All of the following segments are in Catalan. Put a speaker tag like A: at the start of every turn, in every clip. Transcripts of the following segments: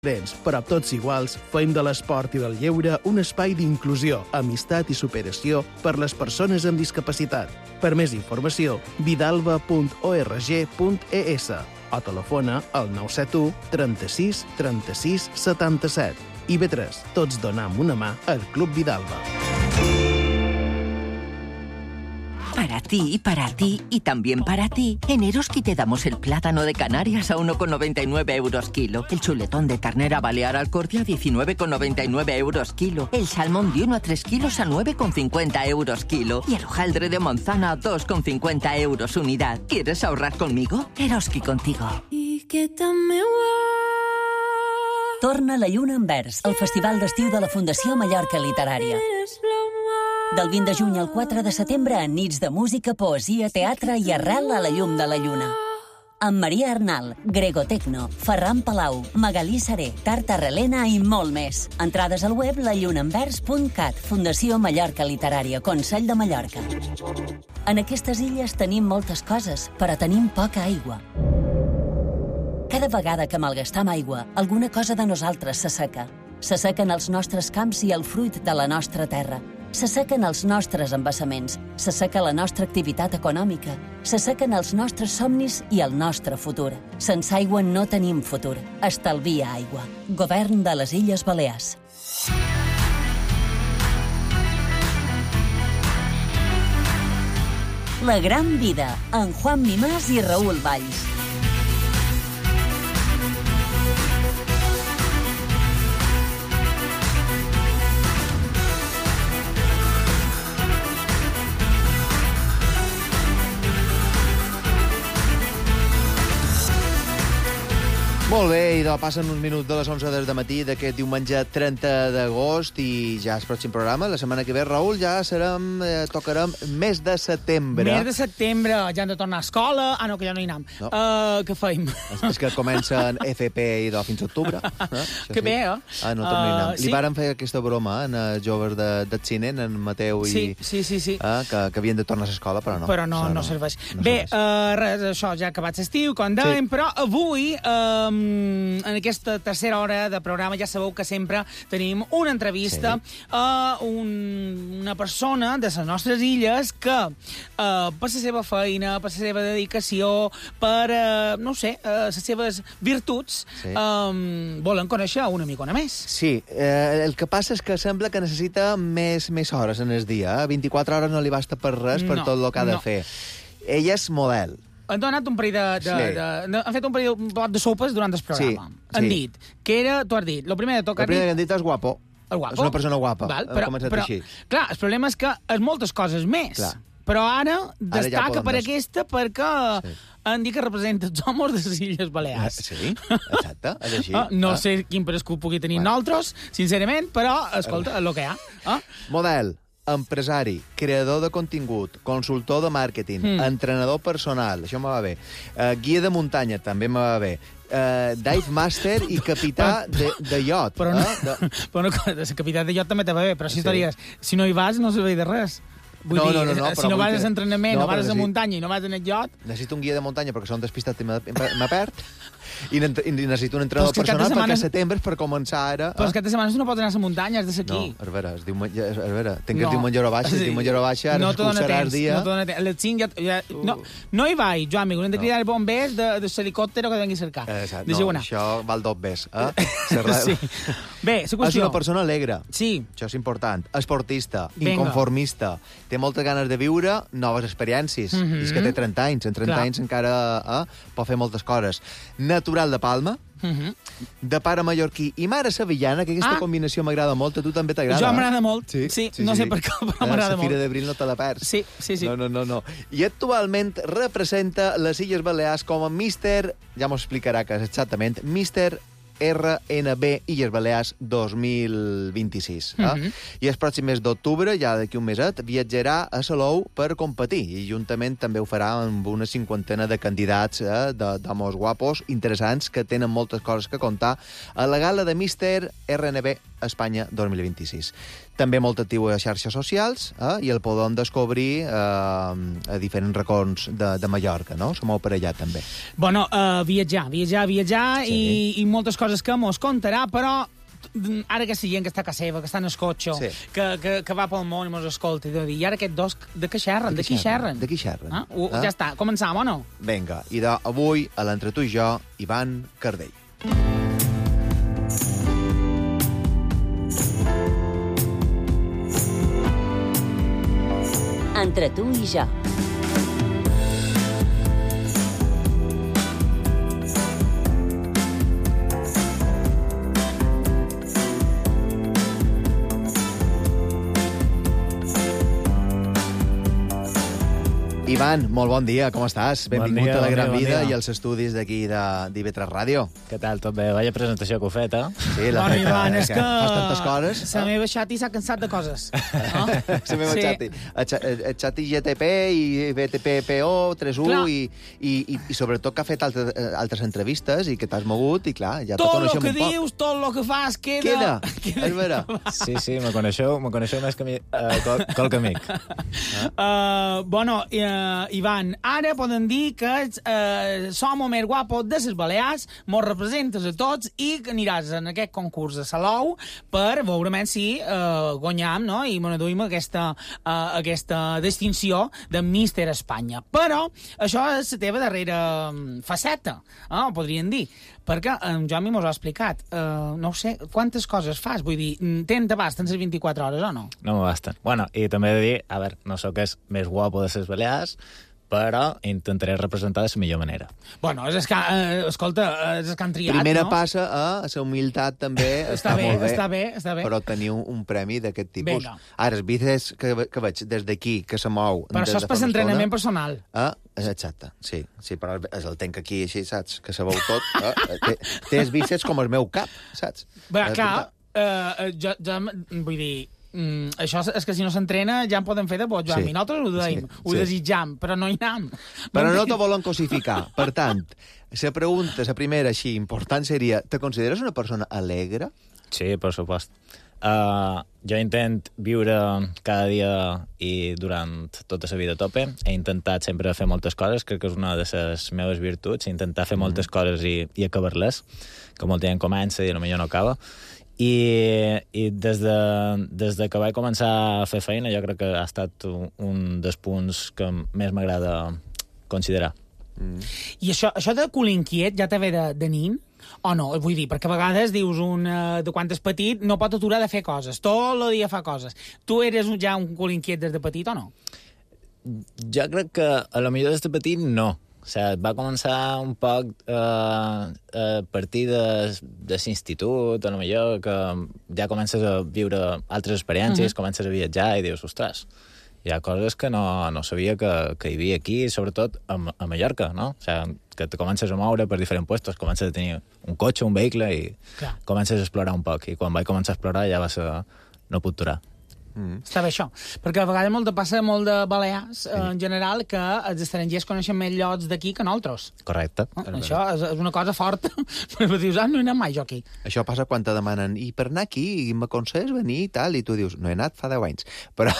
A: Però tots iguals, fem de l'esport i del lleure un espai d'inclusió, amistat i superació per les persones amb discapacitat. Per més informació, vidalba.org.es o telefona al 971 36 36 77. IB3, tots donam una mà al Club Vidalba.
B: Para ti y también para ti. En Eroski te damos el plátano de Canarias a 1,99 euros kilo. El chuletón de ternera balear al corte a 19,99 euros kilo. El salmón de 1 a 3 kilos a 9,50 euros kilo. Y el hojaldre de manzana a 2,50 euros unidad. ¿Quieres ahorrar conmigo? Eroski contigo.
C: Torna la Lluna en Vers, el festival d'estiu de la Fundació Mallorca Literària. Del 20 de juny al 4 de setembre, en nits de música, poesia, teatre i arrel a la llum de la lluna. Amb Maria Arnal, Grego Tecno, Ferran Palau, Magalí Seré, Tarta Relena i molt més. Entrades al web lallunaenvers.cat, Fundació Mallorca Literària, Consell de Mallorca. En aquestes illes tenim moltes coses, però tenim poca aigua. Cada vegada que malgastam aigua, alguna cosa de nosaltres s'asseca. S'assequen els nostres camps i el fruit de la nostra terra. S'assequen els nostres embassaments, s'asseca la nostra activitat econòmica, s'assequen els nostres somnis i el nostre futur. Sense aigua no tenim futur. Estalvia aigua. Govern de les Illes Balears. La gran vida, amb Juan Mimàs i Raül Valls.
D: Molt bé, idò, passen uns minuts de les 11 del matí d'aquest diumenge 30 d'agost i ja és pròxim programa. La setmana que ve, Raül, ja tocarem mes de setembre.
E: Mes de setembre, ja hem de tornar a escola. Ah, no, que ja no hi anem.
D: No.
E: Què feim?
D: És que comencen FP idò fins a octubre.
E: Que bé, eh?
D: Ah, no tornem a anar.
E: sí.
D: Li varen fer aquesta broma en joves del cine, en Mateu i...
E: Sí.
D: Que havien de tornar a l'escola, però no.
E: Però no serveix. Bé, res, això, ja ha acabat l'estiu, com dèiem, però avui... en aquesta tercera hora de programa ja sabeu que sempre tenim una entrevista a una persona de les nostres illes que per la seva feina, per la seva dedicació, per, no sé, les seves virtuts, volen conèixer una micona més.
D: Sí, el que passa és que sembla que necessita més hores en el dia. 24 hores no li basta per res, per tot el que ha de fer. Ella és model.
E: Han donat un parell han fet un parell de sopes durant el programa.
D: Sí.
E: Han dit que era, tu has dit, el primer de tot
D: El primer que han dit és guapo.
E: El guapo.
D: És una persona guapa.
E: Val, però,
D: així.
E: Clar, el problema és que és moltes coses més.
D: Clar.
E: Però ara destaca
D: ja
E: per aquesta perquè han dit que representa els homes de les Illes Balears.
D: Sí, exacte, és així.
E: No sé quin parescut pugui tenir nosaltres, sincerament, però, escolta, el que hi ha.
D: Model, empresari, creador de contingut, consultor de màrqueting, entrenador personal, això me va bé, guia de muntanya, també me va bé, dive master i capità de iot.
E: Però no, el capità de iot també te va bé, però si si no hi vas no serveix de res. Vull dir, si no vas a l'entrenament, no vas a muntanya i no vas en el iot...
D: Necessito un guia de muntanya perquè són despistat i me perd. I necessito un entrenador personal perquè setembre és per començar ara...
E: Però els caps de setmana no pots anar a la muntanya, has de ser aquí.
D: No, a veure, tenc el diumenge hora baixa, el diumenge hora baixa, ara s'excursarà el dia...
E: No hi vaig, Joan, amic, hem de cridar bombers de l'helicòptero que vengui a cercar.
D: No, això val dos bes.
E: Bé, la qüestió...
D: És una persona alegre.
E: Sí.
D: Això és important. Esportista, inconformista, té moltes ganes de viure noves experiències. És que té 30 anys. En 30 anys encara pot fer moltes coses. Natural de Palma, de pare mallorquí i mare sevillana, que aquesta combinació m'agrada molt. A tu també t'agrada?
E: Jo m'agrada molt. Sí, no sé per què, però m'agrada molt.
D: La Fira d'Abril no te la perds.
E: Sí.
D: No. I actualment representa les Illes Balears com a Mister, ja m'ho explicarà que és exactament, Mister RNB Illes Balears 2026. I el pròxim mes d'octubre, ja d'aquí un meset, viatjarà a Salou per competir i juntament també ho farà amb una 50 de candidats d'homes guapos interessants que tenen moltes coses que contar a la gala de Mister RNB Espanya 2026. També molt actiu a xarxes socials i el podem descobrir a diferents racons de Mallorca, no? Se mou per allà, també.
E: Bueno, viatjar sí. i moltes coses que mos contarà, però ara que gent que està a casa seva, que està en el cotxe, sí. que va pel món i mos escolta, i ara aquests dos, de què xerren? De qui xerren? Ja està, començam o no?
D: Vinga, i avui, a l'Entre tu i jo, Ivan Cardell.
C: Entre tu i jo.
D: Ivan, molt bon dia, com estàs? Benvingut a La Gran Vida i als estudis d'aquí d'IV3 Ràdio.
F: Què tal, tot bé? Vaya presentació que heu fet, eh?
D: Sí,
E: bueno, Ivan, és que
D: fas tantes coses.
E: La meva xati s'ha cansat de coses.
D: No? La meva xati. El xati GTP i BTP-PO 3.1 i sobretot que ha fet altres entrevistes i que t'has mogut i, clar, ja te coneixem un poc.
E: Tot el que dius, tot el que fas, queda.
D: És vera.
F: Sí, me coneixeu més que qualque amic.
E: Bueno, Ivan, ara podem dir que som el més guapo de les Balears, mos representes a tots i que aniràs en aquest concurs de Salou per veure si guanyam, no? I m'aduïm aquesta distinció de Míster Espanya. Però això és la teva darrera faceta, podríem dir, perquè en Jomi mos ha explicat. No sé, quantes coses fas? Vull dir, t'abasten les 24 hores o no?
F: No m'abasten. Bueno, i també he de dir, a veure, no sóc el més guapo de les Balears, però intentaré representar de la millor manera.
E: Bueno, escolta, és el que han triat,
D: Primera
E: no?
D: passa a la humilitat, també. Està molt bé.
E: Està bé.
D: Però tenir un premi d'aquest tipus.
E: Vinga.
D: Ara, els vídeos que veig des d'aquí, que se mou...
E: Però això és per l'entrenament personal.
D: Exacte, sí, però el tenc aquí així, saps? Que se veu tot. Té els bíceps com el meu cap, saps?
E: Bé, clar, jo vull dir... això és que si no s'entrena ja en podem fer de bo, Joan. Sí. Nosaltres ho deim, ho desitjam, però no hi anem.
D: Però no te volen cosificar. Per tant, la primera així important seria, te consideres una persona alegre?
F: Sí, per supost. Jo intent viure cada dia i durant tota la vida a tope. He intentat sempre fer moltes coses, crec que és una de les meves virtuts, intentar fer moltes coses i acabar-les, que molta gent comença i potser no acaba. I des de que vaig començar a fer feina, jo crec que ha estat un dels punts que més m'agrada considerar.
E: I això de cul inquiet ja te ve de nin? O no? Vull dir, perquè a vegades dius de quan és petit no pot aturar de fer coses. Tot el dia fa coses. Tu eres ja un cul inquiet des de petit o no?
F: Jo crec que a lo millor des de petit no. O sigui, va començar un poc a partir de l'institut, a lo millor que ja comences a viure altres experiències, comences a viatjar i dius, ostres, hi ha coses que no sabia que hi havia aquí, sobretot a Mallorca, no? O sigui, que te comences a moure per diferents puestos, comences a tenir un cotxe, un vehicle i comences a explorar un poc. I quan vaig començar a explorar ja va ser no puc aturar.
E: Està bé això, perquè a vegades passa molt de Balears en general que els estrangers coneixen més llocs d'aquí que nosaltres.
F: Correcte.
E: Això és una cosa forta, però dius, no he anat mai jo aquí.
D: Això passa quan te demanen, i per anar aquí, m'aconsells venir i tal, i tu dius, no he anat fa 10 anys, però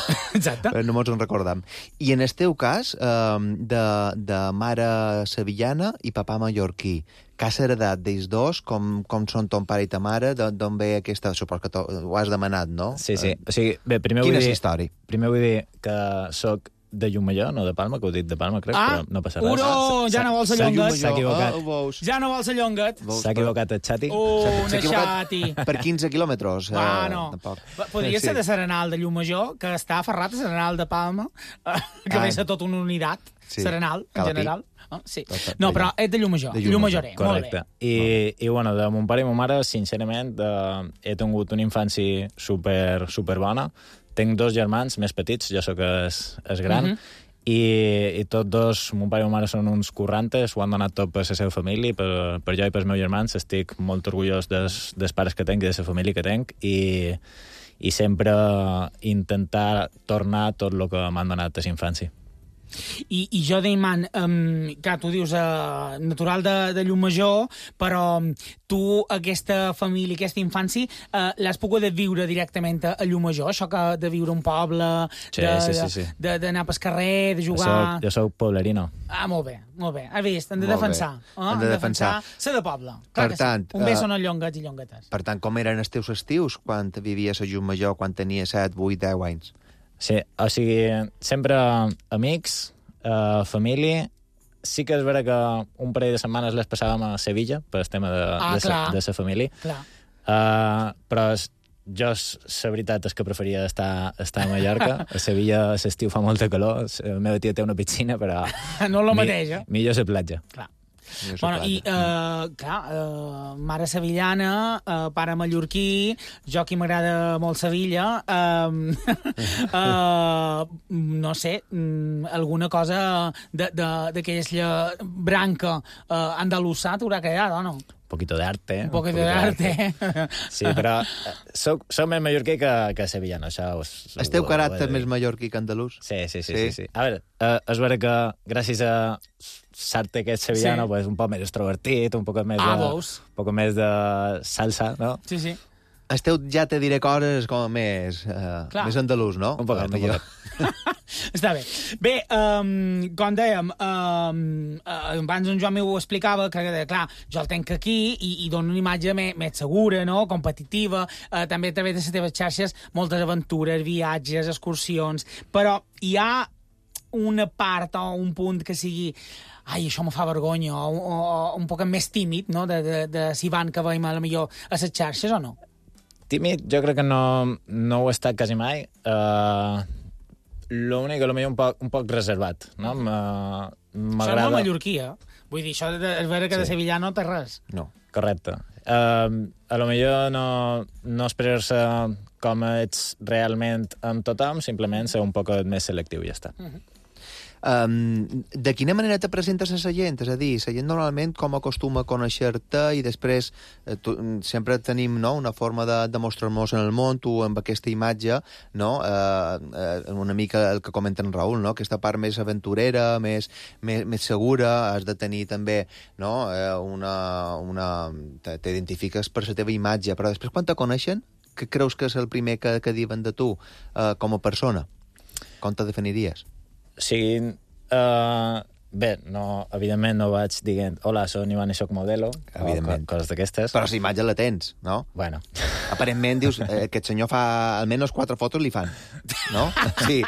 D: no mos en recordam. I en el teu cas, de mare sevillana i papà mallorquí, que has heredat d'ells dos, com són ton pare i ta mare, d'on ve aquesta... Supos que ho has demanat, no?
F: Sí. O sigui, bé, primer
D: vull dir... història?
F: Primer vull dir que soc de Llumallor, no de Palma, que ho he dit de Palma, crec, però no passa res.
E: Ja no vols la llonguet.
F: S'ha equivocat.
E: Ja no vols la llonguet.
F: S'ha equivocat el xati.
E: Una xati.
D: Per 15 quilòmetres.
E: No. Podria ser de Serenal de Llumajor, que està aferrat a Serenal de Palma, que ve a tota una unitat. Serenal, en general. Sí. No, però és de Llumajor. Llumajoré.
F: Correcte. I bueno, de mon pare i ma mare, sincerament, he tingut una infància super bona. Tinc 2 germans més petits, jo sóc el gran, i tots dos, mon pare i ma mare són uns currantes, ho han donat tot per la seva família, per jo i pels meus germans. Estic molt orgullós dels pares que tenc i de la família que tenc, i sempre intentar tornar tot el que m'han donat a la infància.
E: I jo deia, man, clar, tu dius natural de Llucmajor, però tu aquesta família, aquesta infància, l'has pogut viure directament a Llucmajor, això que de viure un poble, d'anar pel carrer, de jugar...
F: Jo soc poblerino.
E: Ah, molt bé. Has vist? Han de defensar.
D: Han de defensar.
E: Ser de poble.
D: Per tant...
E: Un bé són els llonguets i llonguetes.
D: Per tant, com eren els teus estius quan vivies a Llucmajor, quan tenies 7, 8, 10 anys?
F: Sí, o sigui, sempre amics, família. Sí que és vera que un parell de setmanes les passàvem a Sevilla, per el tema de la família. Però jo, la veritat és que preferia estar a Mallorca. A Sevilla l'estiu fa molta calor, la meva tia té una piscina, però...
E: No és el mateix,
F: millor la platja.
E: Clar. Bueno, i, mare sevillana, pare mallorquí, jo que m'agrada molt Sevilla, no sé, alguna cosa d'aquella branca andalusà t'haurà quedat, o no?
F: Un poquito de arte.
E: Un poquito de arte.
F: Sí, però soc més mallorquí que sevillano, això...
D: El teu caràcter més mallorquí que andalús?
F: Sí. A veure, és vera que gràcies a l'arte aquest sevillano, pues, un poc més extrovertit, un poc més de salsa, no?
E: Sí.
D: El teu ja te diré coses com més andalús, no?
F: Un poquet.
E: Està bé. Bé, com dèiem, abans en Joan m'ho explicava, que, clar, jo el tenc aquí i dono una imatge més segura, no?, competitiva, també a través de les teves xarxes, moltes aventures, viatges, excursions, però hi ha una part o un punt que sigui ai, això me fa vergonya, o un poc més tímid, no?, de si van que veiem a la millor a les xarxes o no?
F: Tímid, jo crec que no ho he estat quasi mai. L'únic que potser un poc reservat, no? M'agrada...
E: Això és molt mallorquí, Vull dir, això és vera que de Sevilla no té res.
F: No. Correcte. A lo millor no esperar-se com ets realment amb tothom, simplement ser un poc més selectiu i ja està.
D: De quina manera te presentes a la gent? És a dir, la gent normalment com acostuma a conèixer-te i després sempre tenim una forma de mostrar-nos en el món, tu amb aquesta imatge, no? Una mica el que comenta en Raül, no? Aquesta part més aventurera, més segura, has de tenir també t'identifiques per la teva imatge, però després quan te coneixen, què creus que és el primer que diuen de tu com a persona? Com te definiries?
F: O sigui, bé, evidentment no vaig dient hola, soc Ivan i soc modelo, o coses d'aquestes.
D: Però la imatge la tens, no?
F: Bueno.
D: Aparentment dius, aquest senyor fa almenys 4 fotos li fan, no? Sí,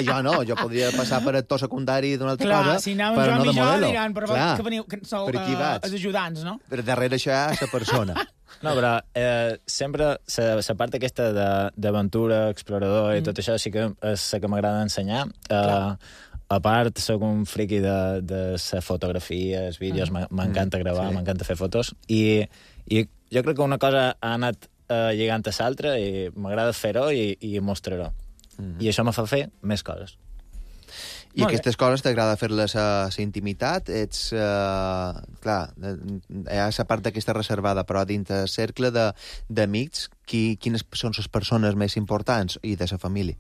D: jo no, jo podria passar per actor secundari d'una altra cosa,
E: si
D: però no de modelo.
E: Diran, però que veniu, que sou els ajudants, no?
D: Però darrere això hi ha la persona.
F: No, però sempre la part aquesta d'aventura, explorador i tot això sí que és la que m'agrada ensenyar. A part, soc un friqui de la fotografia, els vídeos, m'encanta gravar, m'encanta fer fotos, i jo crec que una cosa ha anat lligant a l'altra i m'agrada fer-ho i mostrar-ho. I això me fa fer més coses.
D: I aquestes coses t'agrada fer-les a la intimitat? Ets, clar, hi ha la part d'aquesta reservada, però dins del cercle d'amics, quines són les persones més importants i de la família?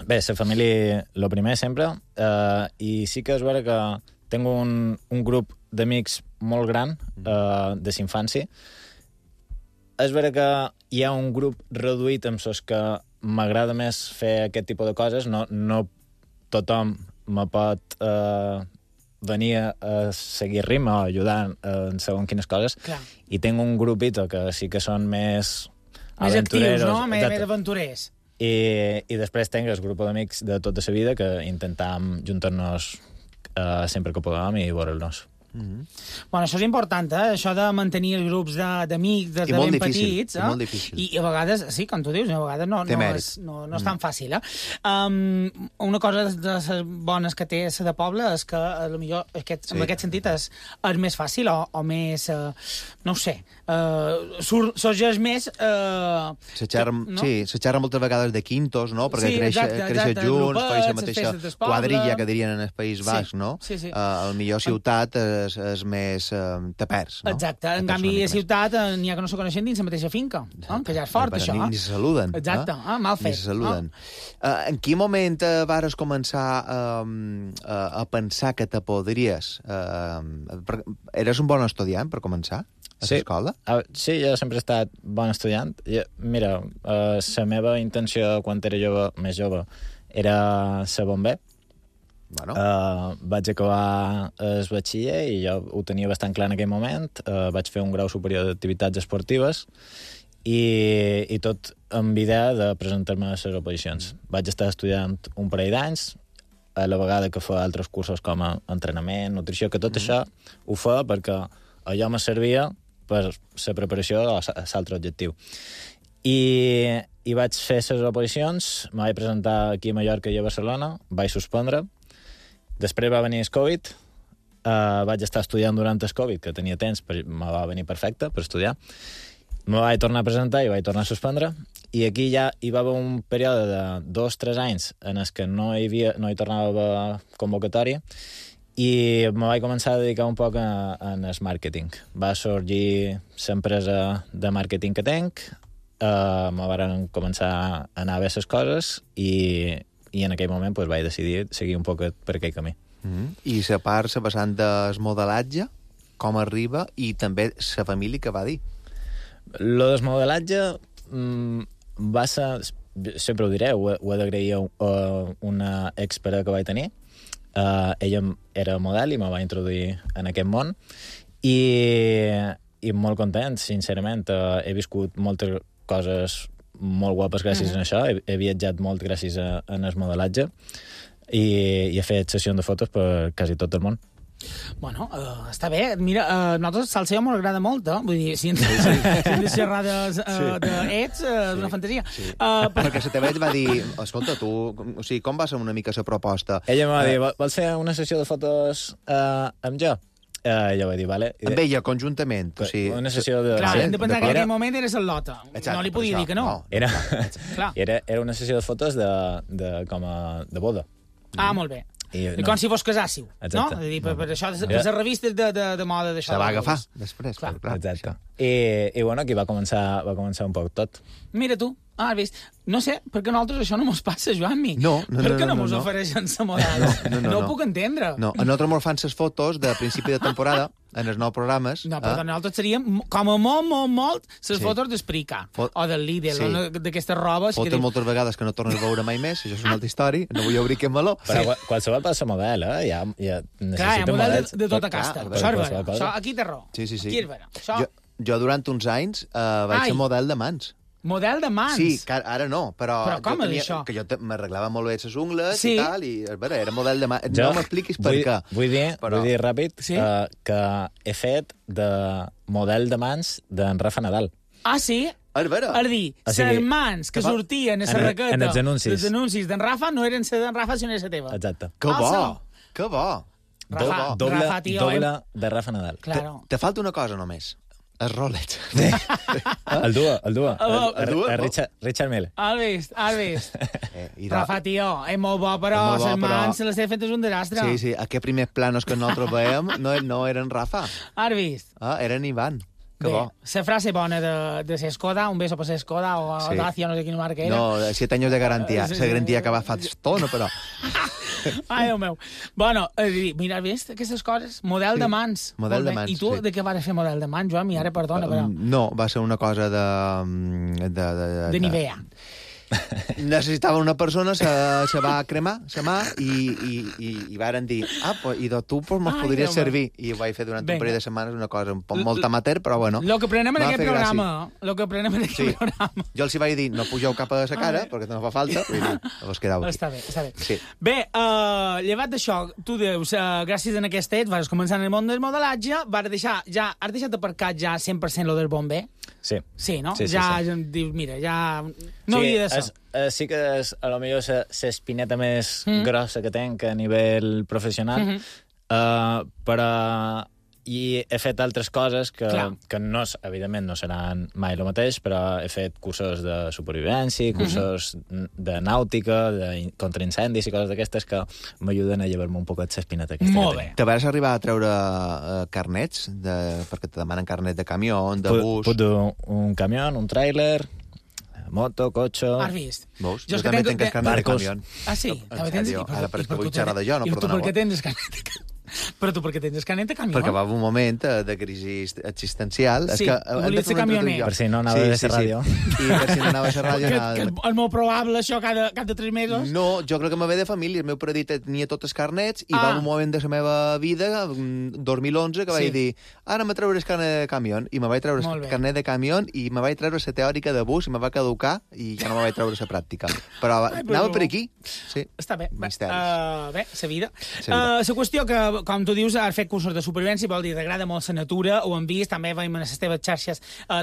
F: Bé, la família, lo primer sempre, i sí que és vera que tinc un grup d'amics molt gran de la infància. És vera que hi ha un grup reduït amb els que m'agrada més fer aquest tipus de coses, no tothom me pot venir a seguir ritme o ajudar en segons quines coses.
E: Clar.
F: I tinc un grupito que sí que són més
E: actius, no? Més aventurers.
F: I després tinc el grup d'amics de tota la vida que intentam juntar-nos sempre que podem i veure'ls.
E: Bueno, això és important, això de mantenir els grups d'amics des de ben petits.
D: I molt difícil.
E: I a vegades, sí, com tu dius, a vegades no és tan fàcil. Una cosa de les bones que té la de poble és que potser en aquest sentit és més fàcil o més, no ho sé, sorgeix més...
D: Se xerra moltes vegades de quintos, no? Perquè creixen junts, feu la mateixa quadrilla que dirien en el País Basc, no?
E: Sí.
D: A la millor ciutat és més te perds, no?
E: Exacte, en canvi a ciutat n'hi ha que no se coneixen dins la mateixa finca, que ja és fort, això.
D: Ni se saluden.
E: Exacte, mal fet.
D: Ni se saluden. En quin moment vares començar a pensar que te podries... Eres un bon estudiant, per començar, a l'escola?
F: Sí, jo sempre he estat bon estudiant. Mira, la meva intenció quan era més jove, era ser bomber.
D: Bueno.
F: Vaig acabar el batxiller i jo ho tenia bastant clar en aquell moment. Vaig fer un grau superior d'activitats esportives i tot amb idea de presentar-me a les oposicions. Vaig estar estudiant un parell d'anys, a la vegada que fa altres cursos com a entrenament, nutrició, que tot això ho fa perquè allò me servia per la preparació a l'altre objectiu. I vaig fer les oposicions, me vaig presentar aquí a Mallorca i a Barcelona, vaig suspendre. Després va venir el Covid, vaig estar estudiant durant el Covid, que tenia temps, me va venir perfecte per estudiar. Me vaig tornar a presentar i vaig tornar a suspendre. I aquí ja hi va haver un període de 2-3 anys en els que no hi tornava a haver convocatòria i me vaig començar a dedicar un poc en el màrqueting. Va sorgir l'empresa de màrqueting que tenc, me van començar a anar bé les coses i en aquell moment vaig decidir seguir un poc per aquell camí.
D: I la part, la vessant del modelatge, com arriba, i també la família que va dir?
F: Lo del modelatge va ser, sempre ho diré, ho he d'agrair a una expera que vaig tenir. Ella era model i me va introduir en aquest món i molt content, sincerament. He viscut moltes coses molt guapes gràcies a això. He viatjat molt gràcies al modelatge i he fet sessions de fotos per quasi tot el món.
E: Bueno, està bé. Mira, a nosaltres Salseo m'ho agrada molt, Vull dir, si hem de xerrar d'ets, d'una fantasia.
D: Perquè la teva va dir, escolta, tu, o sigui, com va ser una mica la proposta?
F: Ella m'ha dit, vols fer una sessió de fotos amb jo? Jo vaig dir, vale.
D: Amb ella, conjuntament. O sigui,
F: una sessió de...
E: Clar, hem de pensar que en aquell moment eres el Lota. No li podia dir que no.
F: Era una sessió de fotos de boda.
E: Molt bé. I com si fos casàssiu, no? Per això, per les revistes de moda d'això.
D: Se va agafar, després.
F: Exacte. I bueno, aquí va començar un poc tot.
E: Mira tu, has vist? No sé, perquè a nosaltres això no mos passa, Joan-mi.
D: No.
E: Per què no mos ofereixen la model? No ho puc entendre.
D: No, a nosaltres mos fan les fotos de principi de temporada, en els nous programes.
E: No, però nosaltres seríem, com a molt, les fotos d'Esprica, o del Lidl, d'aquestes robes.
D: Fotos moltes vegades que no tornes a veure mai més, això és una altra història, no vull obrir aquest meló.
F: Però qualsevol passa model, ja necessita
E: models de tota casta. Això, aquí té raó.
D: Sí.
E: Aquí és vera.
D: Jo durant uns anys vaig ser model de mans.
E: Model de mans?
D: Sí, ara no, però
E: com és això?
D: Que jo m'arreglava molt bé les ungles i tal, i era model de mans. No m'expliquis per què.
F: Vull dir ràpid que he fet de model de mans d'en Rafa Nadal.
E: Ah, sí?
D: És vera.
E: És dir, les mans que sortien a la raqueta dels anuncis d'en Rafa no eren les d'en Rafa, sinó la teva.
F: Exacte.
D: Que bo.
F: Doble de Rafa Nadal.
D: Te falta una cosa només. El Rolex.
F: El Dua. Richard Mille.
E: Has vist. Rafa, tio, és molt bo, però les mans se les he fet un desastre.
D: Sí, aquests primers planos que nosaltres veiem no eren Rafa.
E: Has vist?
D: Eren Ivan. Que
E: bé,
D: bo.
E: La frase bona de Sescoda, un beso per Sescoda, o Dacia, no sé quina marca era.
D: No, 7 anys de garantia. La garantia que va fa estona, però...
E: Ai, Déu meu. Bueno, mira, has vist aquestes coses? Model de mans.
D: Model de mans,
E: I tu de què vas fer model de mans, Joan? Ara, perdona, però...
D: No, va ser una cosa
E: de Nivea.
D: Necessitava una persona, se va cremar la mà i varen dir, i tu me'ls podries servir. I ho vaig fer durant un parell de setmanes, una cosa molt amateur, però bueno.
E: Lo que prenem en aquest programa.
D: Jo els hi vaig dir, no pugeu cap a la cara, perquè no fa falta, vos quedau aquí.
E: Està bé. Bé, llevat d'això, tu dius, gràcies a aquest ets, vas començar en el món del modelatge, has deixat aparcat ja 100% lo del bomber?
F: Sí.
E: Sí, no? Ja dius, mira, ja no havia de ser.
F: Sí que és, a lo millor, l'espineta més grossa que tenc a nivell professional, però I he fet altres coses que no, evidentment no seran mai el mateix, però he fet cursos de supervivència, cursos de nàutica, contra incendis i coses d'aquestes que m'ajuden a llevar-me un poquet l'espineta aquesta.
E: Molt bé.
D: Te vas arribar a treure carnets? Perquè te demanen carnet de camió, de bus...
F: Puc un camió, un tràiler, moto, cotxe...
E: Has vist?
D: Veus? Jo també tinc carnet de camió.
E: Ah, sí?
D: En sèrio? Ara pareix que vull xerrar de jo, no?
E: I tu
D: Perdoneu.
E: per què tens carnet de camió? Però tu per què tens carnet de camió?
D: Perquè va un moment de crisi existencial.
E: Sí,
D: és que
E: volies ser camioner.
F: Per si no anava a ser ràdio.
D: I per si no anava a ser ràdio...
E: Que és molt probable, això, cada 3 mesos.
D: No, jo crec que me ve de família. El meu pare tenia tots els carnets i va un moment de la meva vida, 2011, que vaig dir ara me treuré el carnet de camió. I me vaig treure el carnet de camió i me vaig treure la teòrica de bus i me va caducar i ja no me vaig treure la pràctica. Però anava per aquí. Sí.
E: Està bé.
D: Misteris.
E: Bé, la vida. La qüestió que, com tu dius, has fet cursos de supervivència, vol dir, t'agrada molt la natura, ho hem vist, també veiem a les teves xarxes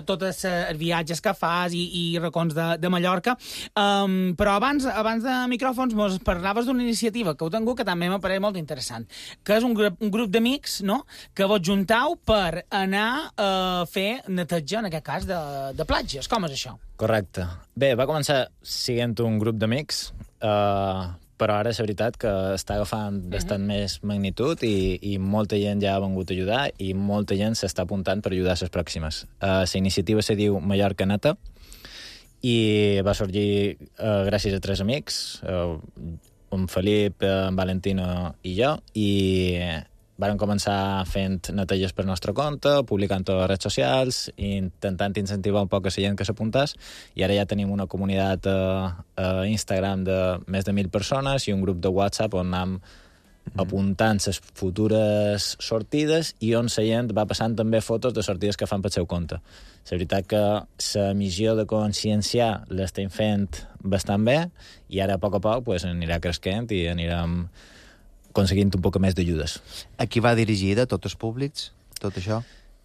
E: tots els viatges que fas i racons de Mallorca. Però abans de micròfons mos parlaves d'una iniciativa que heu tingut que també m'apareix molt interessant, que és un grup d'amics, no?, que vos juntau per anar a fer neteja, en aquest cas, de platges. Com és això?
F: Correcte. Bé, va començar sent un grup d'amics, però ara és veritat que està agafant bastant més magnitud i molta gent ja ha vengut a ajudar i molta gent s'està apuntant per ajudar a les pròximes. La iniciativa se diu Mallorca Neta i va sorgir gràcies a 3 amics, en Felip, en Valentino i jo, i varen començar fent neteges per nostre compte, publicant a les redes socials, intentant incentivar un poc a la gent que s'apuntàs, i ara ja tenim una comunitat a Instagram de més de 1.000 persones i un grup de WhatsApp on anem apuntant les futures sortides i on la gent va passant també fotos de sortides que fan pel seu compte. La veritat que la missió de conscienciar l'estem fent bastant bé i ara a poc anirà creixent i anirem aconseguint un poc més d'ajudes.
D: A qui va dirigir de tots els públics, tot això?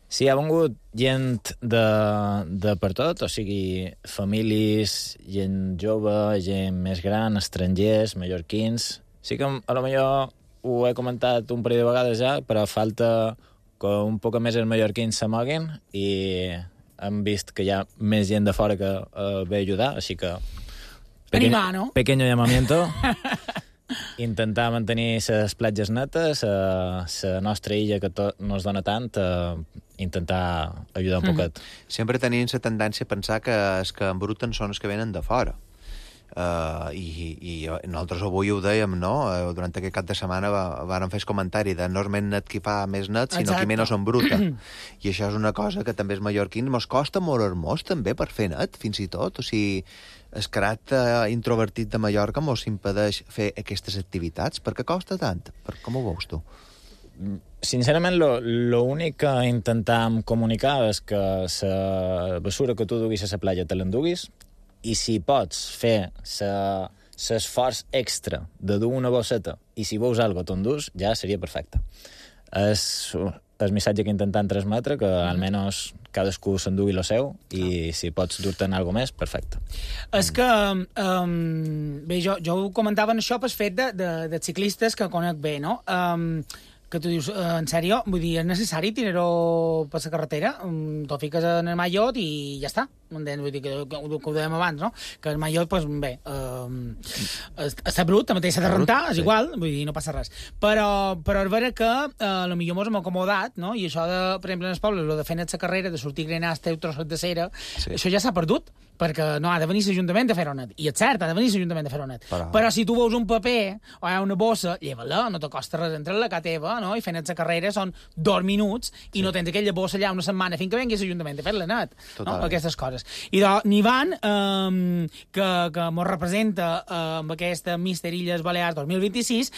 F: Sí, ha vengut gent de per tot, o sigui, famílies, gent jove, gent més gran, estrangers, mallorquins. Sí que a lo millor ho he comentat un parell de vegades ja, però falta que un poc més els mallorquins s'amoguin i hem vist que hi ha més gent de fora que ve a ajudar, així que...
E: Animar, no?
F: Pequeño llamamiento. Intentar mantenir les platges netes, la nostra illa que no es dona tant, intentar ajudar un poquet.
D: Sempre tenim la tendència a pensar que els que embruten són els que venen de fora. I nosaltres avui ho dèiem, no? Durant aquest cap de setmana vàrem fer el comentari de no és més net qui fa més net, sinó qui menys embruta. I això és una cosa que també els mallorquins mos costa molt hermós també per fer net, fins i tot. O sigui, el caràcter introvertit de Mallorca mos impedeix fer aquestes activitats. Per què costa tant? Com ho veus tu?
F: Sincerament, l'únic que intentam comunicar és que la bessura que tu duguis a la platja te l'enduguis i si pots fer l'esforç extra de dur una bosseta i si veus alguna cosa t'endús, ja seria perfecte. És el missatge que intentem transmetre, que almenys cadascú s'endugui lo seu i si pots dur-te'n alguna més, perfecte.
E: És que, bé, jo ho comentava en això pel fet de ciclistes que conec bé, no? Que tu dius, en sèrio, vull dir, és necessari tirar-ho per la carretera, t'ho fiques en el mallot i ja està. Vull dir que ho dèiem abans, no? Que el mallot, doncs, bé, està brut, també s'ha de rentar, és igual, vull dir, no passa res. Però és vera que potser mos hem acomodat, no? I això, per exemple, en els pobles, de fer net la carrera, de sortir grenats, teu trossos de cera, això ja s'ha perdut, perquè no, ha de venir l'Ajuntament a fer-ho net. I és cert, ha de venir l'Ajuntament a fer-ho net. Però si tu veus un paper o una bossa, lleva-la, no te costa res entrar a la casa teva, no? I fer net la carrera són 2 minuts i no tens aquella bossa allà una setmana fins que vengui l'Ajuntament a fer-la net. No? Aquestes coses. I n'Ivan, que mos representa amb aquesta Mister Illes Balears 2026,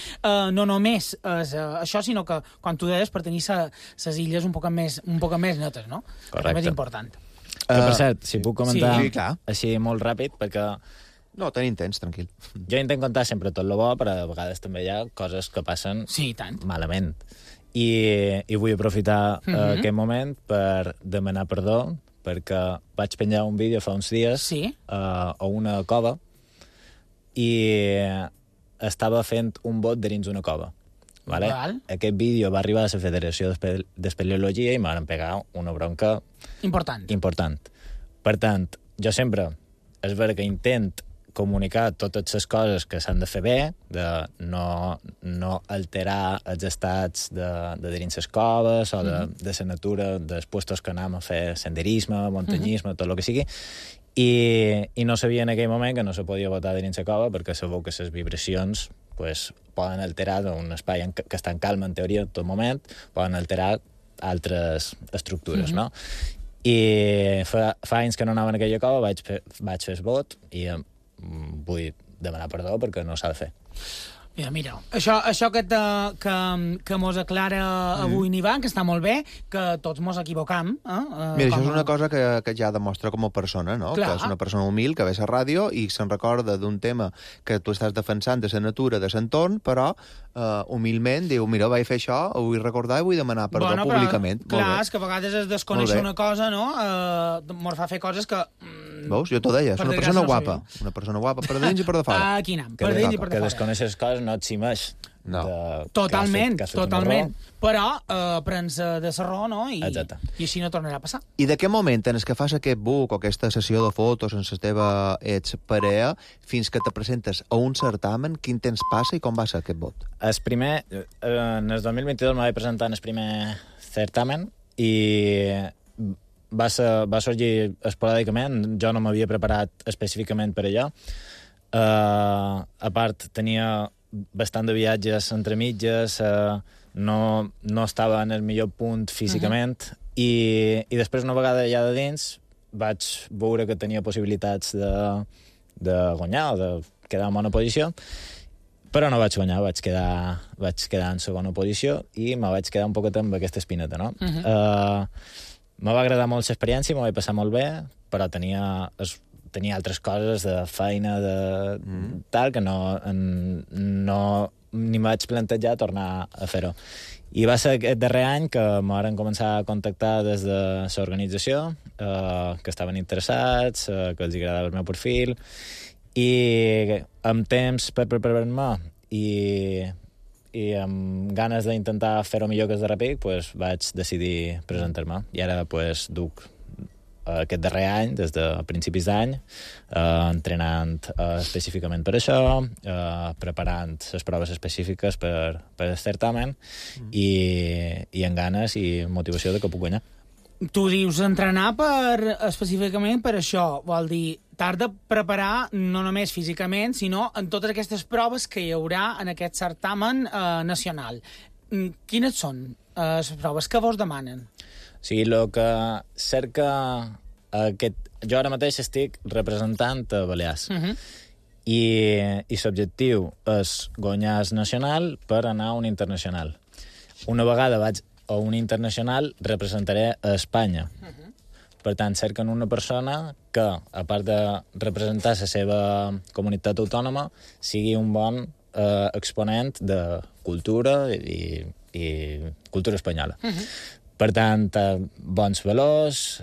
E: no només és això, sinó que, quan tu deies, per tenir les illes un poc més netes, no?
F: Correcte.
E: És més important.
F: Que, per cert, si puc comentar
D: així
F: molt ràpid, perquè...
D: No, tenim temps, tranquil.
F: Jo intento contar sempre tot el bo, però a vegades també hi ha coses que passen malament. I vull aprofitar aquest moment per demanar perdó, perquè vaig penjar un vídeo fa uns dies a una cova i estava fent un bot de dins una cova. Vale? Aquest vídeo va arribar a la Federació d'Espeleologia i m'han pegar una bronca important. Per tant, jo sempre, és vera que intent comunicar totes les coses que s'han de fer bé, de no alterar els estats de dins les coves o de la natura, dels puestos que anem a fer senderisme, muntanyisme, tot el que sigui, i no sabia en aquell moment que no se podia botar dins la cova perquè sabeu que les vibracions poden alterar un espai que està en calma, en teoria, en tot moment, poden alterar altres estructures, no? I fa anys que no anava en aquella cova, vaig fer el vot i vull demanar perdó perquè no s'ha de fer.
E: Mira, això que mos aclara avui Ivan, que està molt bé, que tots mos equivocam.
D: Mira, això és una cosa que ja demostra com a persona, no?
E: Clar.
D: Que és una persona humil, que ve a la ràdio i se'n recorda d'un tema que tu estàs defensant de la natura, de l'entorn, però humilment diu, mira, vaig fer això, ho vull recordar i vull demanar perdó públicament.
E: Clar, és que a vegades es desconeix una cosa, no? Mos fa fer coses que...
D: Veus? Jo t'ho deia, és una persona guapa. Una persona guapa per dins i per de fora.
E: Aquí anem, per dins i per de fora.
F: Que desconeixes coses no et ximeix.
D: No.
E: Totalment. Però prens de serró, no? I així no tornarà a passar.
D: I de què moment en què fas aquest book o aquesta sessió de fotos en la teva parella fins que te presentes a un certamen, quin temps passa i com va ser aquest vot?
F: El primer, en el 2022 me vaig presentar en el primer certamen i va sorgir esporàdicament. Jo no m'havia preparat específicament per allò. A part, tenia bastant de viatges entre mitges, no estava en el millor punt físicament, i després, una vegada ja de dins, vaig veure que tenia possibilitats de guanyar o de quedar en bona posició, però no vaig guanyar, vaig quedar en segona posició i me vaig quedar un poquet amb aquesta espineta, no? Me va agradar molt l'experiència, me vaig passar molt bé, però tenia altres coses de feina, tal, que no ni vaig plantejar tornar a fer-ho. I va ser aquest darrer any que me van començar a contactar des de l'organització, que estaven interessats, que els agradava el meu perfil, i amb temps per preparar-me i amb ganes d'intentar fer-ho millor que el darrer pic, vaig decidir presentar-me. I ara duc aquest darrer any, des de principis d'any, entrenant específicament per això, preparant les proves específiques per el certamen i amb ganes i motivació de que puc guanyar.
E: Tu dius entrenar específicament per això, vol dir, t'has de preparar no només físicament, sinó en totes aquestes proves que hi haurà en aquest certamen nacional. Quines són les proves que vos demanen?
F: O sigui, el que cerca jo ara mateix estic representant a Balears i l'objectiu és guanyar el nacional per anar a un internacional. Una vegada vaig a un internacional, representaré a Espanya. Per tant, cerquen una persona que, a part de representar la seva comunitat autònoma, sigui un bon exponent de cultura i cultura espanyola. Per tant, bons valors,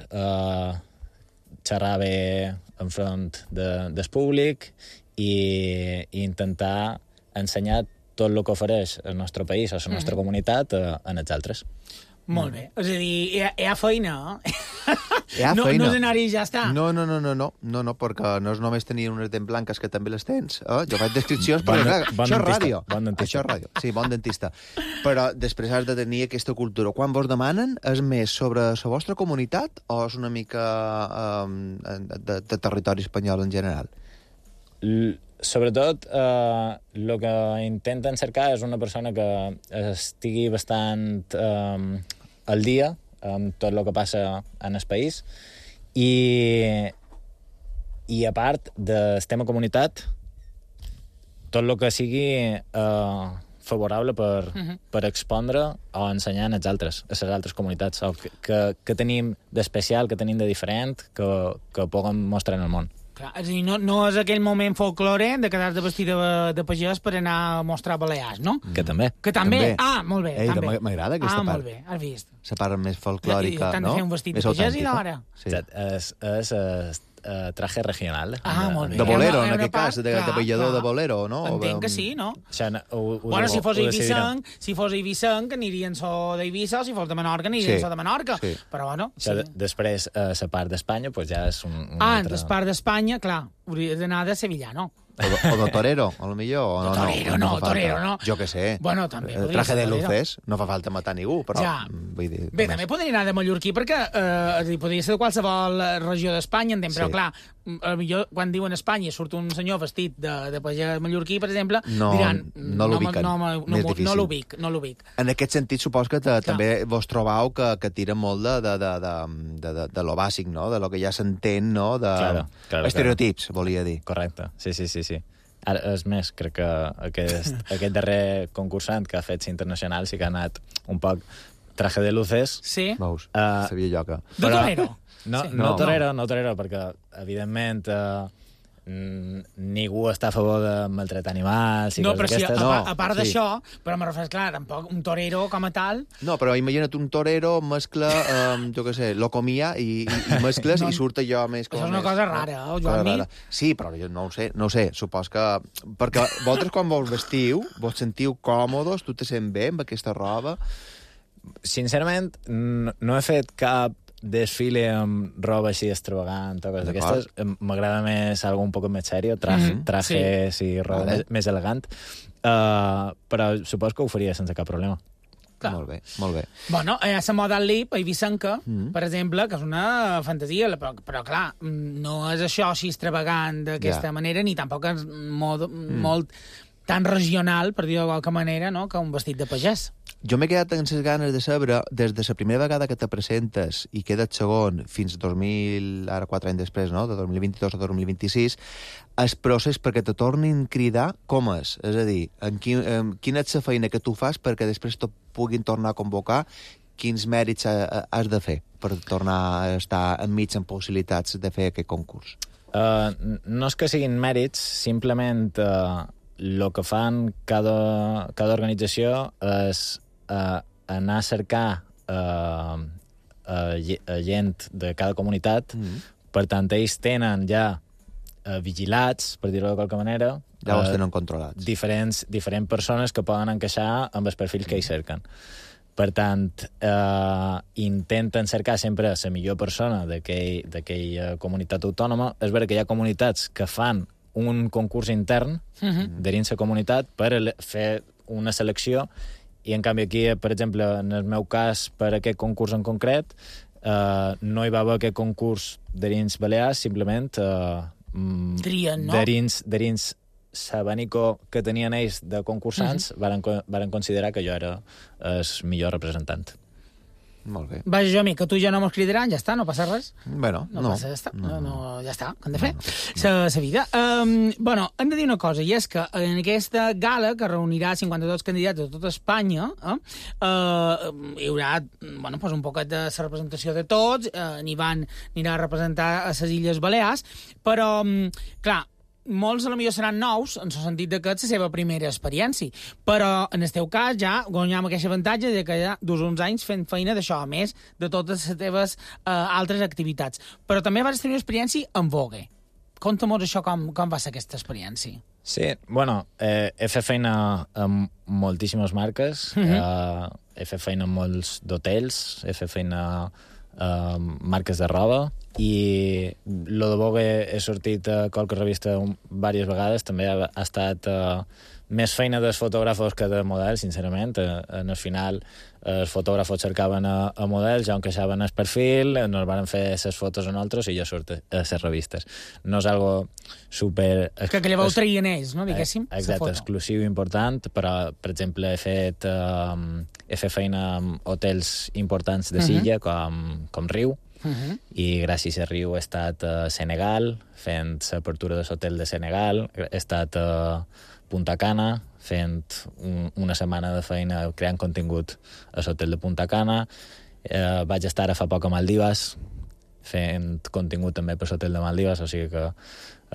F: xerrar bé enfront del públic i intentar ensenyar tot el que ofereix el nostre país o la nostra comunitat en els altres.
E: Molt bé. És a dir, hi ha feina,
D: No
E: és anar-hi i ja està.
D: No, perquè no és només tenir unes dents blanques, que també les tens. Jo faig descripcions, però això és ràdio. Això és ràdio. Sí, bon dentista. Però després has de tenir aquesta cultura. Quan vos demanen, és més sobre la vostra comunitat o és una mica de territori espanyol en general?
F: Sobretot, el que intenten cercar és una persona que estigui bastant al dia amb tot el que passa en el país i a part del tema comunitat, tot el que sigui favorable per expondre o ensenyar a les altres comunitats, o que tenim d'especial, que tenim de diferent, que puguem mostrar en el món.
E: Clar, és a dir, no és aquell moment folclore de quedar-te vestit de pagès per anar a mostrar Balears, no?
F: Que també.
E: Que també? Ah, molt bé.
D: També. M'agrada aquesta part.
E: Ah, molt bé, has vist.
D: La part més folclòrica, no?
E: T'han de fer un vestit de pagès i d'hora.
F: Sí. És traje regional.
E: Molt bé.
D: De bolero, en
E: Una
D: aquest cas, de ballador de bolero, no?
E: Entenc que sí, no?
F: Bueno,
E: si fos eivissenc, anirien so d'Eivissa, o si fos de Menorca, anirien so de Menorca. Però, bueno...
F: Després, la part d'Espanya, ja és un altre...
E: La part d'Espanya, clar, hauria d'anar de sevillano.
D: O de torero, a lo millor.
E: Torero no.
D: Jo què sé.
E: Bueno, també podria
D: traje
E: ser
D: de
E: torero.
D: luces, no fa falta matar ningú, però...
E: Ja.
D: Vull dir,
E: Bé, també podria anar de mallorquí, perquè podria ser de qualsevol regió d'Espanya, entenc, però clar, potser quan diuen Espanya surt un senyor vestit de pagès mallorquí, per exemple, diran...
D: No l'ubiquen, més difícil.
E: No l'ubic.
D: En aquest sentit, supos que també vos trobau que tira molt de lo bàsic, no? De lo que ja s'entén, no? De estereotips, volia dir.
F: Correcte, sí. Ara, és més, crec que aquest darrer concursant que ha fet internacional sí que ha anat un poc traje de luces.
E: Sí.
D: Veus, sabia jo que...
E: De torero.
F: No torero, perquè, evidentment, ningú està a favor de maltratar animals i coses aquestes.
E: A part d'això, però me refereix, clar, tampoc un torero com a tal...
D: No, però imagina't un torero mescla, jo què sé, locomia i mescles i surt allò més...
E: Això és una cosa rara, Joan.
D: Sí, però jo no ho sé, supos que... Perquè vosaltres quan vos vestiu, vos sentiu còmodes, tu te sent bé amb aquesta roba?
F: Sincerament, no he fet cap desfile amb roba així extravagant o coses d'aquestes. M'agrada més algo un poc més serio, trajes i roba més elegant, però supos que ho faria sense cap problema.
E: Clar.
D: Molt bé.
E: Bueno, hi ha la moda al lip, a Eivissenca, per exemple, que és una fantasia, però clar, no és això així extravagant d'aquesta manera, ni tampoc és molt tan regional, per dir-ho de qualque manera, no?, que un vestit de pagès.
D: Jo m'he quedat amb les ganes de saber, des de la primera vegada que te presentes i quedes segon fins 2000, ara 4 anys després, no?, de 2022 a 2026, el procés perquè te tornin a cridar, com és? És a dir, quina és la feina que tu fas perquè després te puguin tornar a convocar, quins mèrits has de fer per tornar a estar enmig amb possibilitats de fer aquest concurs?
F: No és que siguin mèrits, simplement el que fan cada organització és anar a cercar gent de cada comunitat. Per tant, ells tenen ja vigilats, per dir-ho de qualque manera,
D: ja els tenen controlats.
F: Diferents persones que poden encaixar amb els perfils que ells cerquen. Per tant, intenten cercar sempre la millor persona d'aquella comunitat autònoma. És vera que hi ha comunitats que fan un concurs intern dins la comunitat per fer una selecció, i en canvi aquí, per exemple, en el meu cas, per aquest concurs en concret, no hi va haver aquest concurs dins Balears, simplement
E: trien, no?
F: Dins l'abanico que tenien ells de concursants, varen considerar que jo era el millor representant.
D: Molt bé.
E: Vaja, jo, que tu ja no mos cridaran, ja està, no passa res.
D: Bueno,
E: passa, ja està. Ja està, que hem de fer. La vida. Bueno, hem de dir una cosa, i és que en aquesta gala, que reunirà 52 candidats de tota Espanya, hi haurà un poquet de la representació de tots, anirà a representar a les Illes Balears, però, clar, molts potser seran nous, en el sentit que és la seva primera experiència, però en el teu cas ja guanyem aquest avantatge de que ja dus uns anys fent feina d'això, a més de totes les teves altres activitats. Però també vas tenir una experiència en Vogue. Conta-nos això, com va ser aquesta experiència.
F: Sí, bueno, he fet feina amb moltíssimes marques, he fet feina amb molts d'hotels, he fet feina marques de roba, i lo de Vogue he sortit a qualque revista diverses vegades. També ha estat més feina dels fotògrafos que de models, sincerament. En el final els fotògrafos cercaven a models, ja encaixaven el perfil, nos van fer les fotos a nosaltres i jo surt a les revistes. No és algo super...
E: Que llavors ho traien ells, no, diguéssim?
F: Exacte, exclusiu i important, però, per exemple, he fet feina amb hotels importants de Silla, com Riu, i gràcies a Riu he estat a Senegal fent l'apertura de l'hotel de Senegal, he estat a Punta Cana fent una setmana de feina creant contingut a l'hotel de Punta Cana, vaig estar fa poc a Maldives fent contingut també per l'hotel de Maldives, o sigui que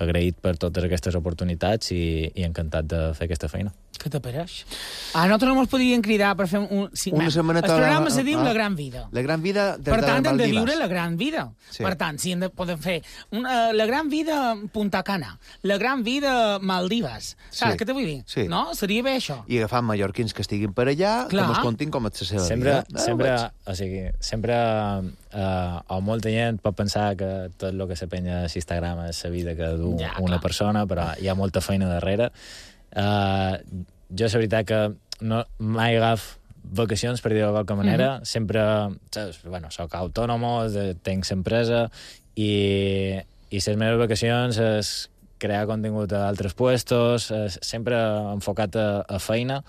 F: agraït per totes aquestes oportunitats i encantat de fer aquesta feina.
E: Què t'apareix? Nosaltres no ens podríem cridar per fer un...
D: Una setmaneta...
E: El programa se diu La Gran Vida.
D: La Gran Vida des de
E: Per tant, hem de
D: Maldives.
E: viure la gran vida.
D: Sí.
E: Per tant, si podem fer la gran vida Punta Cana, la gran vida Maldives. Saps què te vull dir?
D: Sí.
E: No? Seria bé això.
D: I agafant mallorquins que estiguin per allà,
E: Clar.
D: que mos contin com és la seva vida.
F: Sempre o molta gent pot pensar que tot el que se penya a Instagram és la vida que du una persona, però hi ha molta feina darrere. Jo, la veritat, que mai agaf vacacions, per dir-ho de qualque manera. Sempre, soc autònomo, tenc l'empresa, i les meves vacacions és crear contingut a altres puestos, sempre enfocat a feina.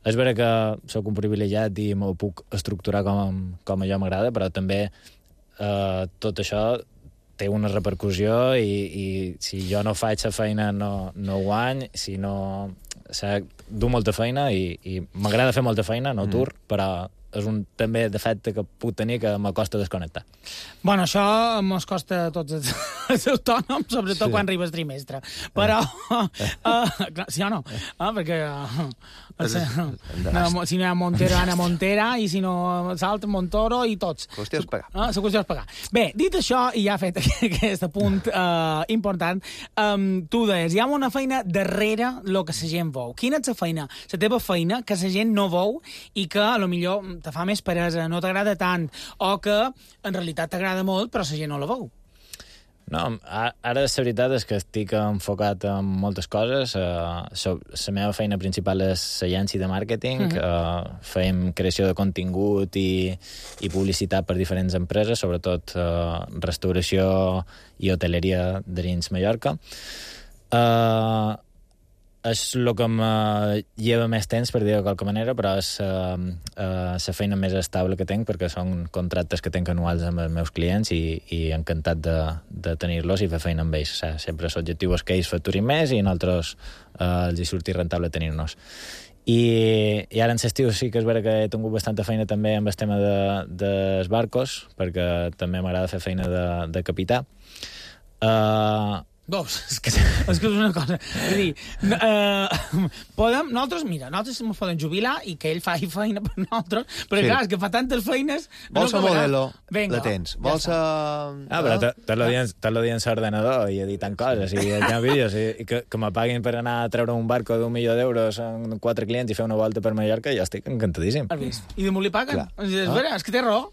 F: És vera que sóc un privilegiat i m'ho puc estructurar com a jo m'agrada, però també tot això té una repercussió i si jo no faig la feina no guany, si no... Du molta feina i m'agrada fer molta feina, no tur, però és un també defecte que puc tenir que m'acosta desconnectar.
E: Bueno, això mos costa a tots els autònoms, sobretot quan arriba el trimestre. Però, sí o no? Perquè si no hi ha Montero, Ana Montera, i si no Salt, Montoro, i tots.
D: La qüestió és pagar.
E: La qüestió és pagar. Bé, dit això, i ja fet aquest punt important, tu deies, hi ha una feina darrere el que la gent veu. Quina és la feina? La teva feina que la gent no veu i que, a lo millor, te fa més peresa, no t'agrada tant, o que en realitat t'agrada molt, però la gent no la veu.
F: No, ara la veritat és que estic enfocat en moltes coses. La meva feina principal és l'agència de màrqueting. Fem creació de contingut i publicitat per diferents empreses, sobretot restauració i hoteleria de dins Mallorca. És el que em lleva més temps, per dir-ho de qualque manera, però és la feina més estable que tinc, perquè són contractes que tinc anuals amb els meus clients i encantat de tenir-los i fer feina amb ells. Sempre l'objectiu és que ells facturin més i a nosaltres els hi surti rentable tenir-nos. I ara en l'estiu sí que és vera que he tingut bastanta feina també amb el tema dels barcos, perquè també m'agrada fer feina de capità.
E: És que és una cosa. És a dir, nosaltres ens podem jubilar i que ell faci feina per nosaltres, però clar, és que fa tantes feines...
D: Vols a modelo, la tens. Vols a...
F: Però tot el dia en l'ordenador i editant coses i editant vídeos i que me paguin per anar a treure un barco d'1.000.000 d'euros amb 4 clients i fer una volta per Mallorca, jo estic encantadíssim.
E: Has vist? I de molt li paguen? És vera, és que té raó.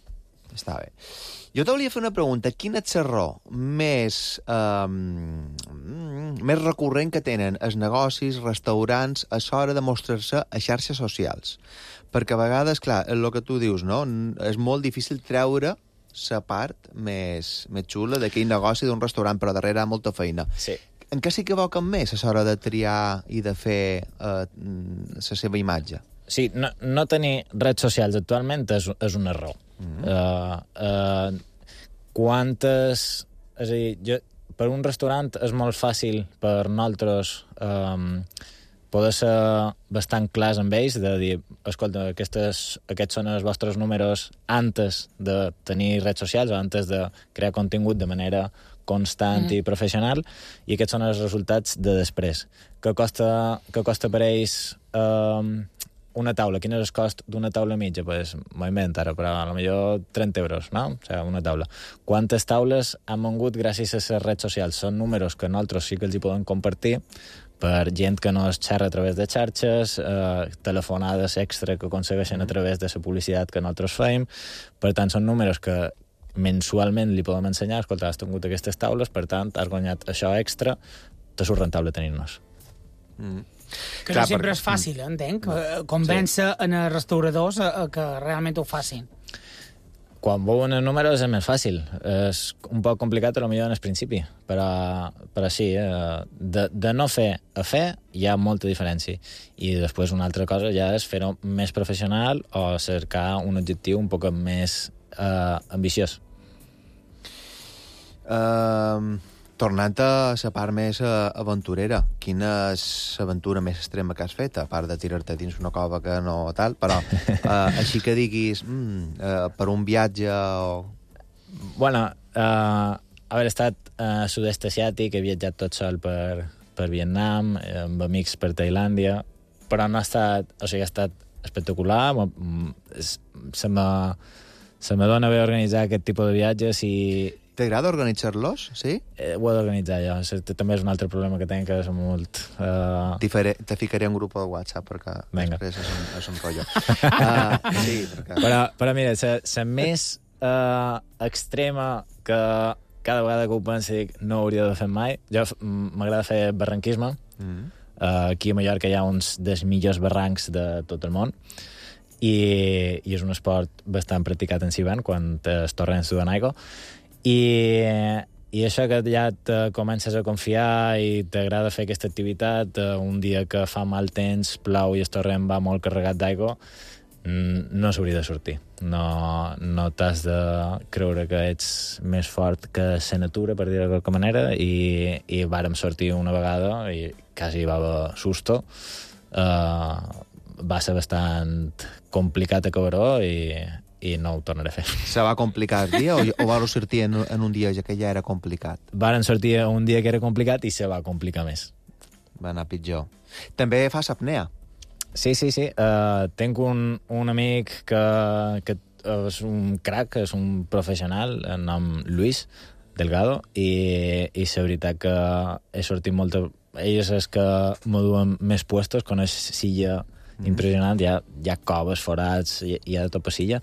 D: Està bé. Jo te volia fer una pregunta. Quin és l'error més recurrent que tenen els negocis, restaurants, a l'hora de mostrar-se a xarxes socials? Perquè a vegades, clar, el que tu dius, no? És molt difícil treure la part més xula d'aquell negoci d'un restaurant, però darrere hi ha molta feina.
F: Sí.
D: En què s'equivoquen més a l'hora de triar i de fer la seva imatge?
F: Sí, no tenir redes socials actualment és un error. És a dir, per un restaurant és molt fàcil per nosaltres poder ser bastant clars amb ells, de dir, escolta, aquests són els vostres números antes de tenir redes socials o antes de crear contingut de manera constant i professional, i aquests són els resultats de després. Què costa per ells una taula? Quin és el cost d'una taula mitja? Pues, m'ho invento ara, però potser 30 euros, no? O sigui, una taula. Quantes taules han vengut gràcies a les redes socials? Són números que nosaltres sí que els hi podem compartir per gent que no es xerra a través de xarxes, telefonades extra que aconsegueixen a través de la publicitat que nosaltres fem. Per tant, són números que mensualment li podem ensenyar. Escolta, has tingut aquestes taules, per tant, has guanyat això extra, te surt rentable tenir-nos.
E: Que no sempre és fàcil, entenc, convèncer en els restauradors que realment ho facin.
F: Quan veuen els números és més fàcil. És un poc complicat, potser en el principi, però sí, de no fer a fer hi ha molta diferència. I després una altra cosa ja és fer-ho més professional o cercar un objectiu un poc més ambiciós.
D: Tornant a la part més aventurera, quina és l'aventura més extrema que has fet, a part de tirar-te dins una cova que no tal, però així que diguis per un viatge o...
F: Bueno, haver estat sud-est asiàtic, he viatjat tot sol per Vietnam, amb amics per Tailàndia, però no ha estat... O sigui, ha estat espectacular. Se me dona bé organitzar aquest tipus de viatges i...
D: T'agrada organitzar-los, sí?
F: Ho he d'organitzar jo. També és un altre problema que tinc, que és molt...
D: Te ficaré un grup de WhatsApp perquè després és un rotllo. Sí, perquè...
F: Però mira, la més extrema que cada vegada que ho penso dic no hauria de fer mai. Jo m'agrada fer barranquisme. Aquí a Mallorca hi ha uns dels millors barrancs de tot el món i és un esport bastant practicat en Sivan quan es torren sudant aigua. I això que ja te comences a confiar i t'agrada fer aquesta activitat, un dia que fa mal temps, plou i el torrent va molt carregat d'aigua, no s'hauria de sortir. No t'has de creure que ets més fort que la natura, per dir-ho de qualque manera, i vàrem sortir una vegada i quasi va haver susto. Va ser bastant complicat acabar-ho i no ho tornaré a fer.
D: Se va complicar el dia o vau sortir en un dia que ja era complicat?
F: Varen sortir un dia que era complicat i se va complicar més.
D: Va anar pitjor. També fas apnea?
F: Sí. Tinc un amic que és un crack, és un professional, el nom Luis Delgado, i la veritat que he sortit molt... Ell és el que m'ho duen més puestos, coneix silla impressionant, hi ha coves, forats, hi ha de tot per silla,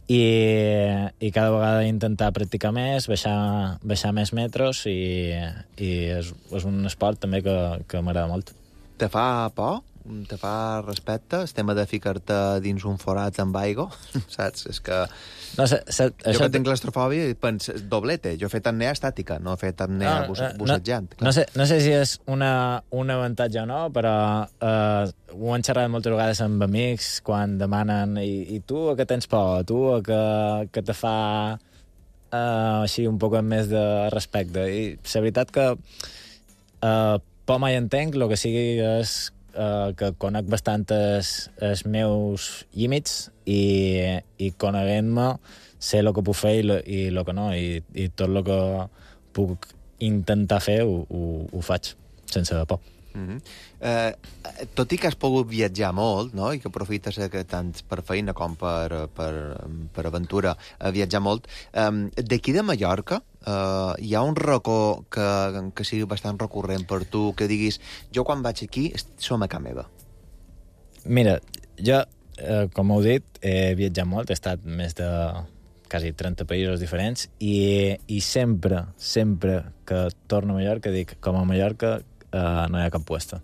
F: i cada vegada intentar practicar més, baixar més metros, i és un esport també que m'agrada molt.
D: Te fa por? Te fa respecte el tema de ficar-te dins un forat amb aigua? Saps? És que...
F: No, jo
D: que tinc claustrofòbia i penso, doblete. Jo he fet apnea estàtica, no he fet apnea bussejant.
F: No sé si és un avantatge o no, però ho han xerrat moltes vegades amb amics quan demanen i tu a què tens por? Tu a que te fa així un poc més de respecte? I la veritat que por mai entenc, el que sigui és que conec bastant els meus límits i coneguent-me sé el que puc fer i el que no, i tot el que puc intentar fer ho faig sense por.
D: Tot i que has pogut viatjar molt, no? I que aprofites tant per feina com per aventura viatjar molt, d'aquí de Mallorca hi ha un racó que sigui bastant recurrent per tu, que diguis, jo quan vaig aquí som a casa meva?
F: Mira, jo, com heu dit, he viatjat molt, he estat més de quasi 30 països diferents i sempre que torno a Mallorca dic, com a Mallorca no hi ha cap puesto.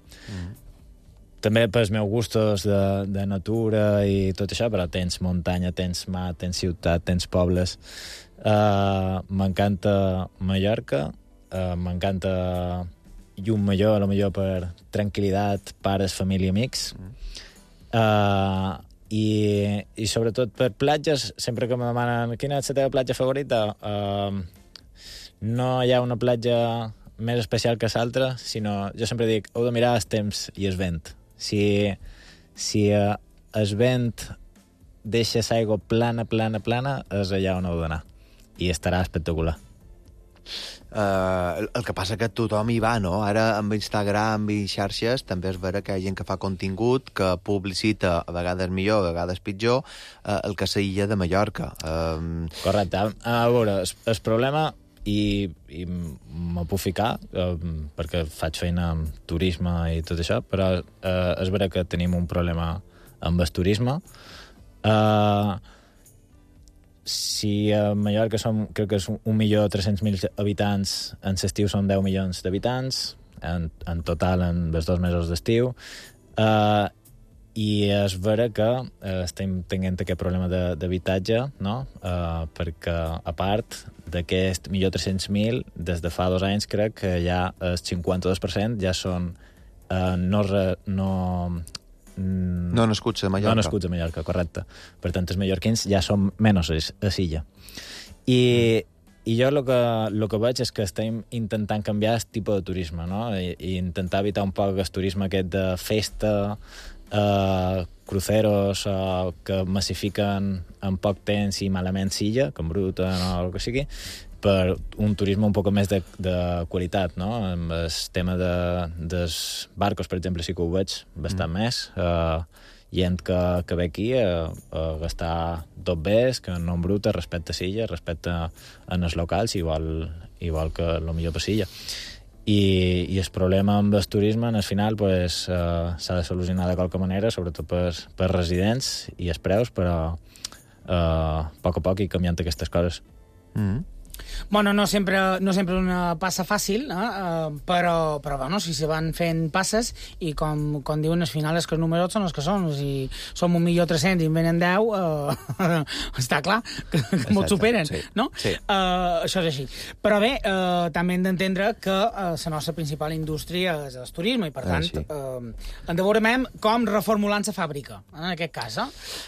F: També pels meus gustos de natura i tot això, però tens muntanya, tens mar, tens ciutat, tens pobles. M'encanta Mallorca, m'encanta Llumallor, potser per tranquil·litat, pares, família, amics. I sobretot per platges, sempre que me demanen quina és la teva platja favorita, no hi ha una platja més especial que l'altra, sinó jo sempre dic, heu de mirar el temps i el vent. Si el vent deixa l'aigua plana, és allà on heu d'anar. I estarà espectacular.
D: El que passa que tothom hi va, no? Ara amb Instagram i xarxes també és vera que hi ha gent que fa contingut, que publicita a vegades millor, a vegades pitjor, el que és l'illa de Mallorca.
F: Correcte. A veure, el problema, i m'ho puc ficar, perquè faig feina amb turisme i tot això, però és vera que tenim un problema amb el turisme. Si a Mallorca crec que és 1.300.000 habitants, en l'estiu són 10 milions d'habitants, en total en els 2 mesos d'estiu, i és vera que estem tenint aquest problema d'habitatge, no? Perquè, a part d'aquest 1.300.000, des de fa 2 anys crec que ja el 52% ja són
D: no nascuts a Mallorca.
F: No nascuts a Mallorca, correcte. Per tant, els mallorquins ja són menys a l'illa. I jo el que veig és que estem intentant canviar el tipus de turisme, no? I intentar evitar un poc el turisme aquest de festa, cruceros que massifiquen en poc temps i malament silla, com Bruta o el que sigui, per un turisme un poc més de qualitat, no? Amb el tema dels barcos, per exemple, sí que ho veig bastant més. Gent que ve aquí a gastar tot bé, que no embruta, respecte a Silla, respecte en els locals, igual que el millor per Silla. I el problema amb el turisme, al final, s'ha de solucionar de qualque manera, sobretot per residents i els preus, però a poc i canviant aquestes coses.
E: Bueno, no sempre una passa fàcil, però bueno, si se van fent passes i com diuen al final és que els números són els que són, si som 1.300.000 i en venen 10, està clar que m'ho superen,
D: sí.
E: No?
D: Sí.
E: Això és així. Però bé, també hem d'entendre que la nostra principal indústria és el turisme i per tant hem de veure com reformulant la fàbrica, en aquest cas.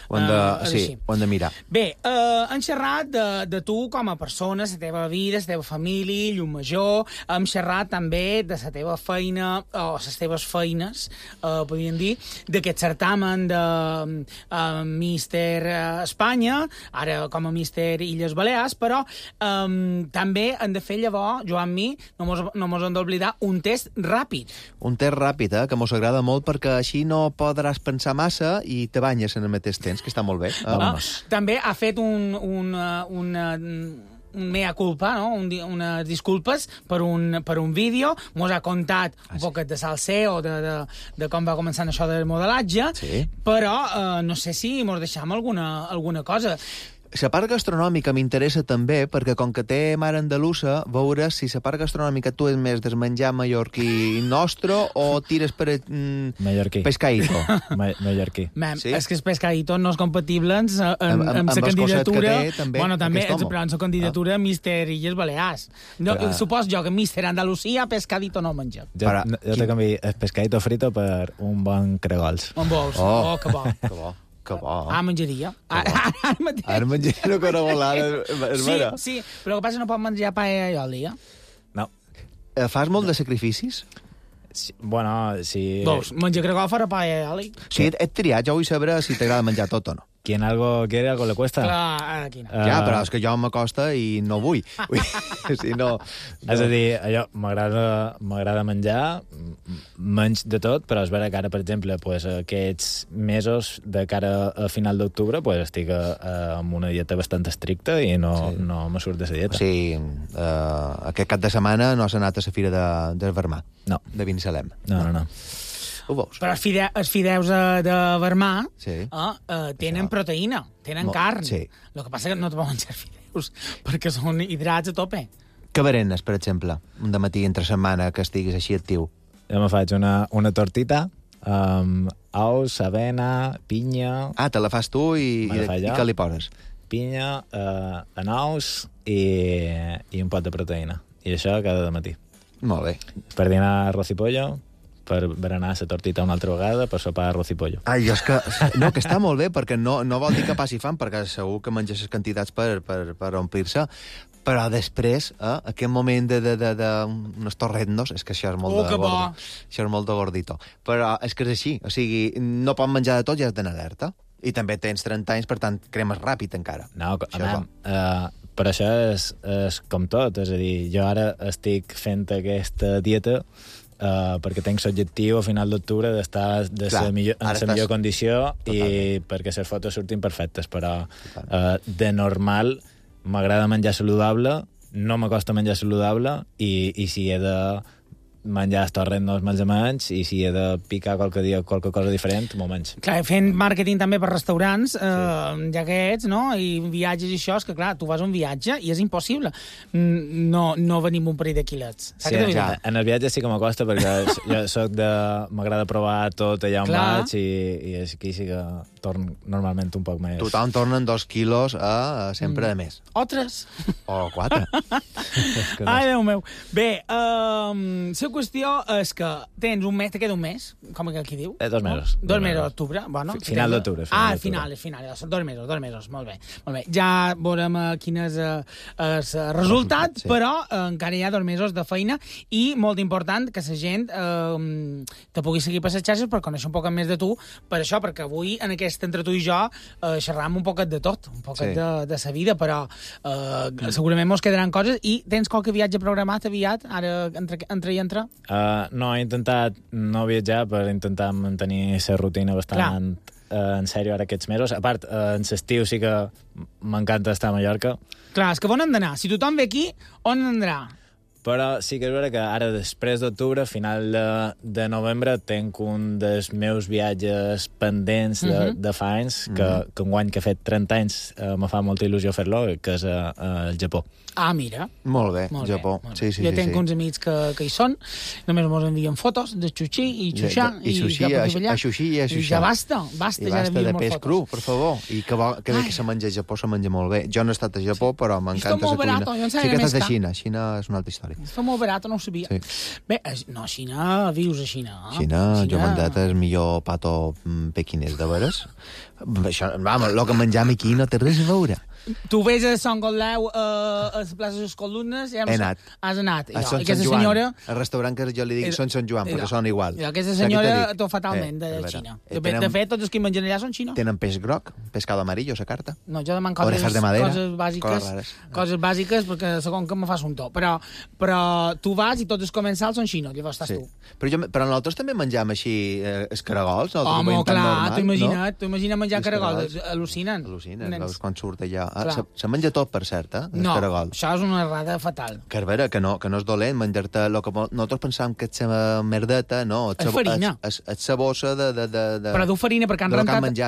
D: Ho hem de mirar.
E: Bé, hem xerrat de tu com a persona, la teva vida, la teva família, Llucmajor. Hem xerrat també de la teva feina, o les teves feines, podríem dir, d'aquest certamen de Míster Espanya, ara com a Míster Illes Balears, però també hem de fer llavors, Joan Mi, no mos hem d'oblidar, un test ràpid.
D: Un test ràpid, que mos agrada molt, perquè així no podràs pensar massa i te banyes en el mateix temps, que està molt bé.
E: També ha fet un mea culpa, no? Unes disculpes per un vídeo, mos ha contat un poquet de salseo, de com va començar això del modelatge, però no sé si mos deixam alguna cosa.
D: La part gastronòmica m'interessa també, perquè com que té mare andalusa, veuràs si la part gastronòmica tu és més del menjar mallorquí nostre o tires per
F: mallorquí.
D: Pescaíto.
F: Mallorquí.
E: Sí? És que el pescaíto no és compatible amb la candidatura... Bueno, també, però amb la candidatura Míster Illes Balears. Supos jo que Míster Andalusia pescadito no menja.
F: Jo te canvi el pescaíto frito per un bon cregols.
E: On vols? Que bo.
D: Que bo. Que bo.
E: Menjaria.
D: Ara menjaria una carabolada.
E: Sí, però el que passa no pot menjar paella i oli,
F: No.
D: Fas molt de sacrificis?
F: Sí, bueno, sí...
E: Vols menjar cregol farà paella i oli?
D: Sí, et triat, jo vull saber si t'agrada menjar tot o no.
F: Quien algo quiere, algo le cuesta.
E: Clar, aquí no.
D: Ja, però és que jo m'acosta i no vull. Si no...
F: És a dir, allò, m'agrada menjar, menys de tot, però és vera que ara, per exemple, aquests mesos de cara a final d'octubre estic amb una dieta bastant estricta i no me surt de la dieta.
D: O sigui, aquest cap de setmana no has anat a la fira del Vermà.
F: No.
D: De Binissalem.
F: No.
E: Ho veus? Però els fideus de Vermà tenen proteïna, tenen carn. Sí. El que passa que no te poden menjar fideus perquè són hidrats a tope.
D: Què berenes, per exemple, un dematí entre setmana que estiguis així actiu?
F: Jo me faig una tortita amb ous, avena, pinya...
D: Te la fas tu i què li poses?
F: Pinya, anous i un pot de proteïna. I això cada dematí.
D: Molt bé.
F: Per dinar arroz i pollo, per berenar la tortita una altra vegada, per sopar arroz i pollo.
D: Jo és que... No, que està molt bé, perquè no vol dir que passi fam, perquè segur que menges les quantitats per omplir-se, però després, aquest moment d'unes torrendos, és que això és molt de gordo. Això és molt de gordito. Però és que és així, o sigui, no pots menjar de tot i has d'anar alerta. I també tens 30 anys, per tant, cremes ràpid encara.
F: No, però això és com tot, és a dir, jo ara estic fent aquesta dieta perquè tenc l'objectiu a final d'octubre d'estar en la millor condició i perquè les fotos surtin perfectes, però de normal m'agrada menjar saludable, no m'acosta menjar saludable i si he de menjar estorrent no els menja menys i si he de picar qualque dia qualque cosa diferent, m'ho menys.
E: Clar, fent màrqueting també per restaurants, ja que ets, no? I viatges i això, és que clar, tu vas a un viatge i és impossible no venir amb un parell de quilets.
F: Sí, en el viatge sí que m'acosta perquè jo m'agrada provar tot allà on vaig i aquí sí que torno normalment un poc més.
D: Tothom tornen 2 quilos sempre de més.
E: O 3.
D: O 4.
E: Ai, Déu meu. Bé, si qüestió és que tens un mes, te queda un mes, com que aquí diu?
F: 2 mesos.
E: 2 mesos d'octubre, bueno.
F: Final d'octubre.
E: Final, són 2 mesos, molt bé. Ja veurem quin és el resultat, però encara hi ha 2 mesos de feina i molt important que la gent te pugui seguir per les xarxes per conèixer un poc més de tu, per això, perquè avui en aquest entre tu i jo xerram un poquet de tot, un poquet de sa vida, però segurament mos quedaran coses. I tens qualque viatge programat aviat, ara entre i entre?
F: No, he intentat no viatjar per intentar mantenir la rutina bastant en sèrio ara aquests mesos. A part, en l'estiu sí que m'encanta estar a Mallorca.
E: Clar, és que on han d'anar? Si tothom ve aquí, on anarà?
F: Però sí que és vera que ara, després d'octubre, a final de novembre, tenc un dels meus viatges pendents de fa anys, que enguany que he fet 30 anys me fa molta il·lusió fer-lo, que és al Japó.
E: Ah, mira.
D: Molt bé, Japó. Sí.
E: Jo tenc uns amics que hi són, només mos envien fotos de xuxí i xuxà.
D: I xuxí, a xuxí i a xuxà.
E: I ja basta,
D: I basta de peix cru, per favor. I que bé que se menja a Japó, se menja molt bé. Jo no he estat a Japó, però m'encanta la cuina. Sí que he estat a Xina. Xina és una altra història.
E: Es fa molt barat, no ho sabia.
D: Sí.
E: Bé, no, Xina, vius a Xina.
D: Xina, jo m'he menjat el millor pato pequinès, de veres. Això, vamos, el que menjam aquí no té res a veure.
E: Tu vés a Sant Gotleu, a la plaça de les Columnes...
D: He anat.
E: Has anat.
D: A Sant Joan, al restaurant que jo li dic són Sant Joan, perquè són igual.
E: Aquesta senyora tot fatalment de Xina. De fet, tots els que mengen allà són Xina.
D: Tenen peix groc, pescado amarillo, la carta.
E: No, jo deman
D: coses
E: bàsiques, coses bàsiques, perquè segon que me fas un to. Però tu vas i tots els comensals són xinos, llavors estàs tu.
D: Però nosaltres també menjam així escaragols.
E: Home, clar, t'ho imagines menjar caragols. Al·lucinen.
D: Veus quan surt allà. Se menja tot, per cert,
E: no, això és una errada fatal.
D: Que és vera, que no és dolent menjar-te... Nosaltres pensàvem que és merdeta, no.
E: És farina.
D: És la bossa de...
E: Però du farina, perquè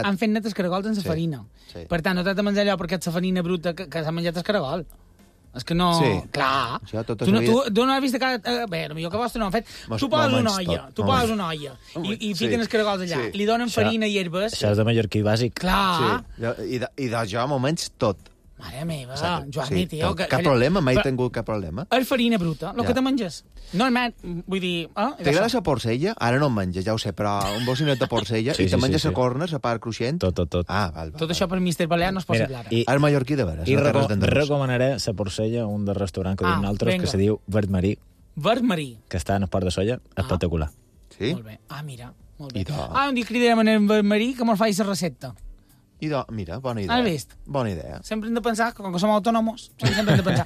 E: han fet net els caragols en la farina. Per tant, no t'has de menjar allò perquè és la farina bruta que s'ha menjat el caragol. És que no...
D: Sí.
E: Clar. Tu no has vist que... Bé, potser que vostre no han fet. Tu poses una olla i fiquen els caragols allà. Li donen farina i herbes.
F: Això és de mallorquí bàsic.
E: Clar.
D: I de jo m'ho menys tot.
E: Mare meva, Joan, tio...
D: Cap problema, mai he tingut cap problema.
E: És farina bruta, el que te menges. Normalment, vull dir...
D: T'agrada la porcella? Ara no en menges, ja ho sé, però un bocinet de porcella i te menges la corna, la part cruixent?
F: Tot.
D: Ah, val.
E: Tot això per Mr. Balear no és possible ara.
D: És mallorquí de veres.
F: I recomanaré la porcella, un del restaurant que diuen altres, que se diu Verd Marí.
E: Verd Marí.
F: Que està en el Port de Solla, espectacular.
D: Sí?
E: Molt bé. Mira, molt bé. Un dia cridarem en Verd Marí que mos faci la recepta.
D: Mira, bona idea.
E: Has vist?
D: Bona idea.
E: Sempre hem de pensar, com que som autònomos, sempre hem de pensar.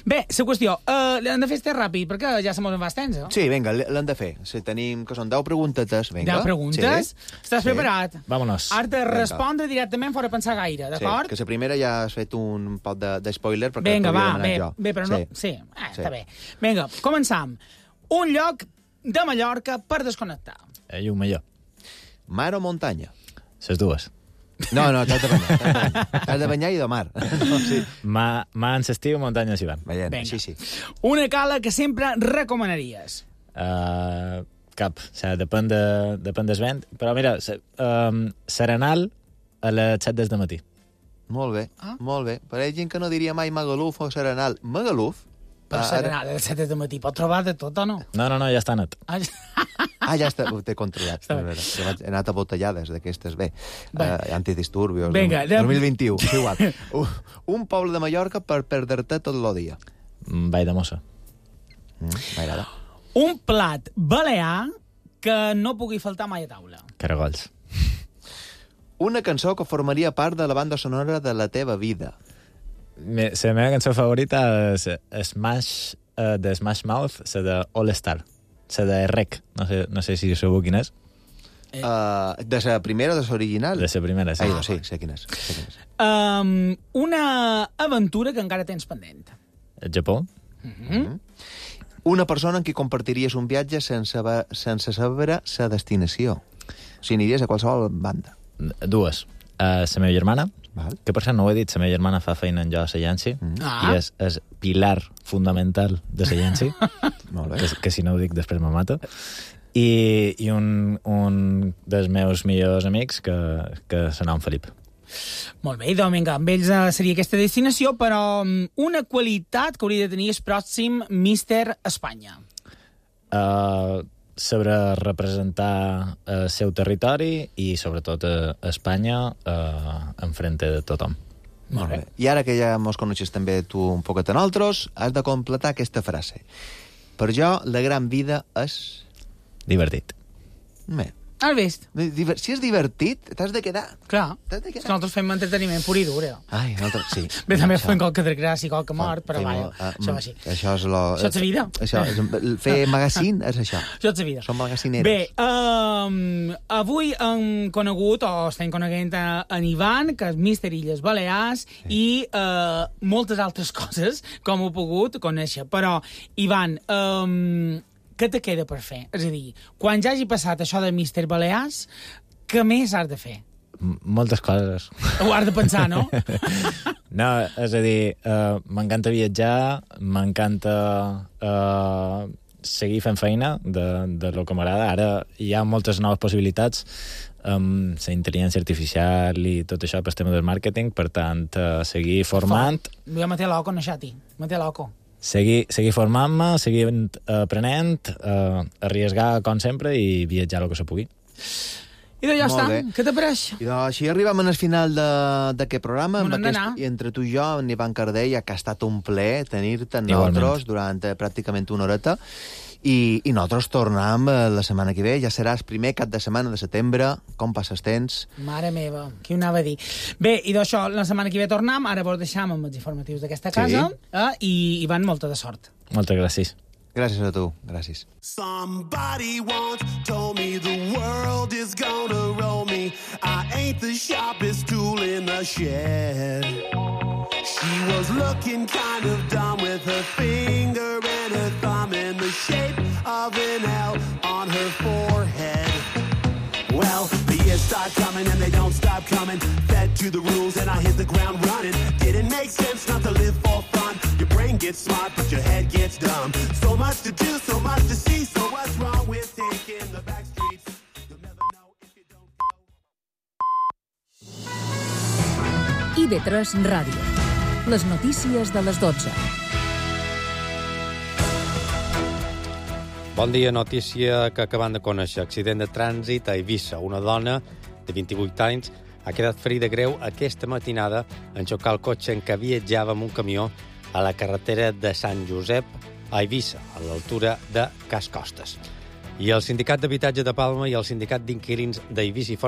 E: Bé, la qüestió, l'hem de fer este ràpid, perquè ja se mos en va temps, eh?
D: Sí, vinga, l'hem de fer. Si tenim, que són 10 preguntetes, vinga.
E: 10 preguntes? Sí. Estàs preparat?
F: Vámonos.
E: Has de respondre directament fora pensar gaire, d'acord?
D: Sí, que la primera ja has fet un pot de spoiler, perquè
E: vinga, va, bé, però no... Sí, està bé. Vinga, començam. Un lloc de Mallorca per desconnectar.
F: Un millor.
D: Mar o muntanya?
F: Les dues.
D: No, t'has de banyar. T'has de banyar i de mar.
F: Mar en l'estiu, muntanya en l'hivern.
D: Vinga. Sí.
E: Una cala que sempre recomanaries?
F: Cap. O sigui, depèn del vent. Però mira, Serenal a les 7 del matí.
D: Molt bé, molt bé. Però hi ha gent que no diria mai Magaluf o Serenal. Magaluf?
E: Però Serenal a les 7 del matí pot trobar de tot o no?
F: No, ja està net.
D: Ja està, ho t'he controlat. He anat a botellades d'aquestes, bé. Antidisturbios.
E: Vinga,
D: 2021, és igual. Un poble de Mallorca per perdre-te tot el dia.
F: Vall de Mossa.
D: M'agrada.
E: Un plat balear que no pugui faltar mai a taula.
F: Caragols.
D: Una cançó que formaria part de la banda sonora de la teva vida.
F: La meva cançó favorita és Smash, de Smash Mouth, la de All Star. La de Rec. No sé si sabeu quina és.
D: De la primera o de l'original?
F: De la primera, sí.
D: Sí, sé quina és.
E: Una aventura que encara tens pendent.
F: El Japó.
D: Una persona amb qui compartiries un viatge sense saber la destinació. O sigui, aniries a qualsevol banda.
F: Dues. La meva germana,
D: val.
F: Que per cert no ho he dit, la meva germana fa feina en jo a Sayansi, i és pilar fundamental de Sayansi, que si no ho dic després me mata, i un dels meus millors amics que se nom Felip.
E: Molt bé, doncs vinga, amb ells seria aquesta destinació, però una qualitat que hauria de tenir el pròxim Míster Espanya.
F: sabrà representar el seu territori i, sobretot, a Espanya enfrente de tothom.
D: Molt bé. I ara que ja mos coneixes també tu un poquet a nosaltres, has de completar aquesta frase. Per jo, la gran vida és...
F: Divertit.
D: Bé.
E: Has vist?
D: Si és divertit, t'has de quedar.
E: Clar.
D: T'has de quedar.
E: Nosaltres fem entreteniment pur i dur,
D: Ai, nosaltres, sí.
E: Bé, també fem qualque desgràcia i qualque mort, però vaja, això va així.
D: Això és
E: Això és la vida.
D: Això és, fer magazine és això.
E: Això és la vida.
D: Som magacineros.
E: Bé, avui hem conegut, o estem coneguent en Ivan, que és Míster Illes Balears, i moltes altres coses, com ho he pogut conèixer. Però, Ivan, què te queda per fer? És a dir, quan ja hagi passat això de Míster Balears, què més has de fer?
F: Moltes coses.
E: Ho has de pensar, no?
F: No, és a dir, m'encanta viatjar, m'encanta seguir fent feina de lo que m'agrada. Ara hi ha moltes noves possibilitats amb la intel·ligència artificial i tot això per tema del màrqueting, per tant, seguir formant...
E: Jo me té loco, no, Xati? Me té loco.
F: Seguir formant-me, seguir aprenent, arriesgar com sempre i viatjar el que se pugui.
E: I ja està, què te pareix?
D: I així arribem al final d'aquest programa.
E: I
D: entre tu i jo, en Ivan Cardell, que ha estat un plaer tenir-te nosaltres durant pràcticament una horeta. I nosaltres tornem la setmana que ve. Ja serà el primer cap de setmana de setembre. Com passes temps?
E: Mare meva, qui ho anava a dir? Bé, i d'això, la setmana que ve tornem. Ara vos deixam amb els informatius d'aquesta casa. I van molta de sort.
F: Moltes gràcies.
D: Gràcies a tu, gràcies.
G: Somebody once told me the world is gonna roll me. I ain't the sharpest tool in the shed. She was looking kind of dumb with her finger and her thumb in the shape of an L on her forehead. Well, the years start coming and they don't stop coming. Fed to the rules and I hit the ground running. Didn't make sense not to live for fun. Your brain gets smart but your head gets dumb. So much to do, so much to see. So what's wrong with taking the back streets? You'll never know if you don't go.
H: IB3 Ràdio. Les notícies de les 12.
I: Bon dia, notícia que acabem de conèixer. Accident de trànsit a Eivissa. Una dona de 28 anys ha quedat ferida greu aquesta matinada en xocar el cotxe en què viatjava amb un camió a la carretera de Sant Josep a Eivissa, a l'altura de Cas Costes. I el Sindicat d'Habitatge de Palma i el Sindicat d'Inquilins d'Eivissa i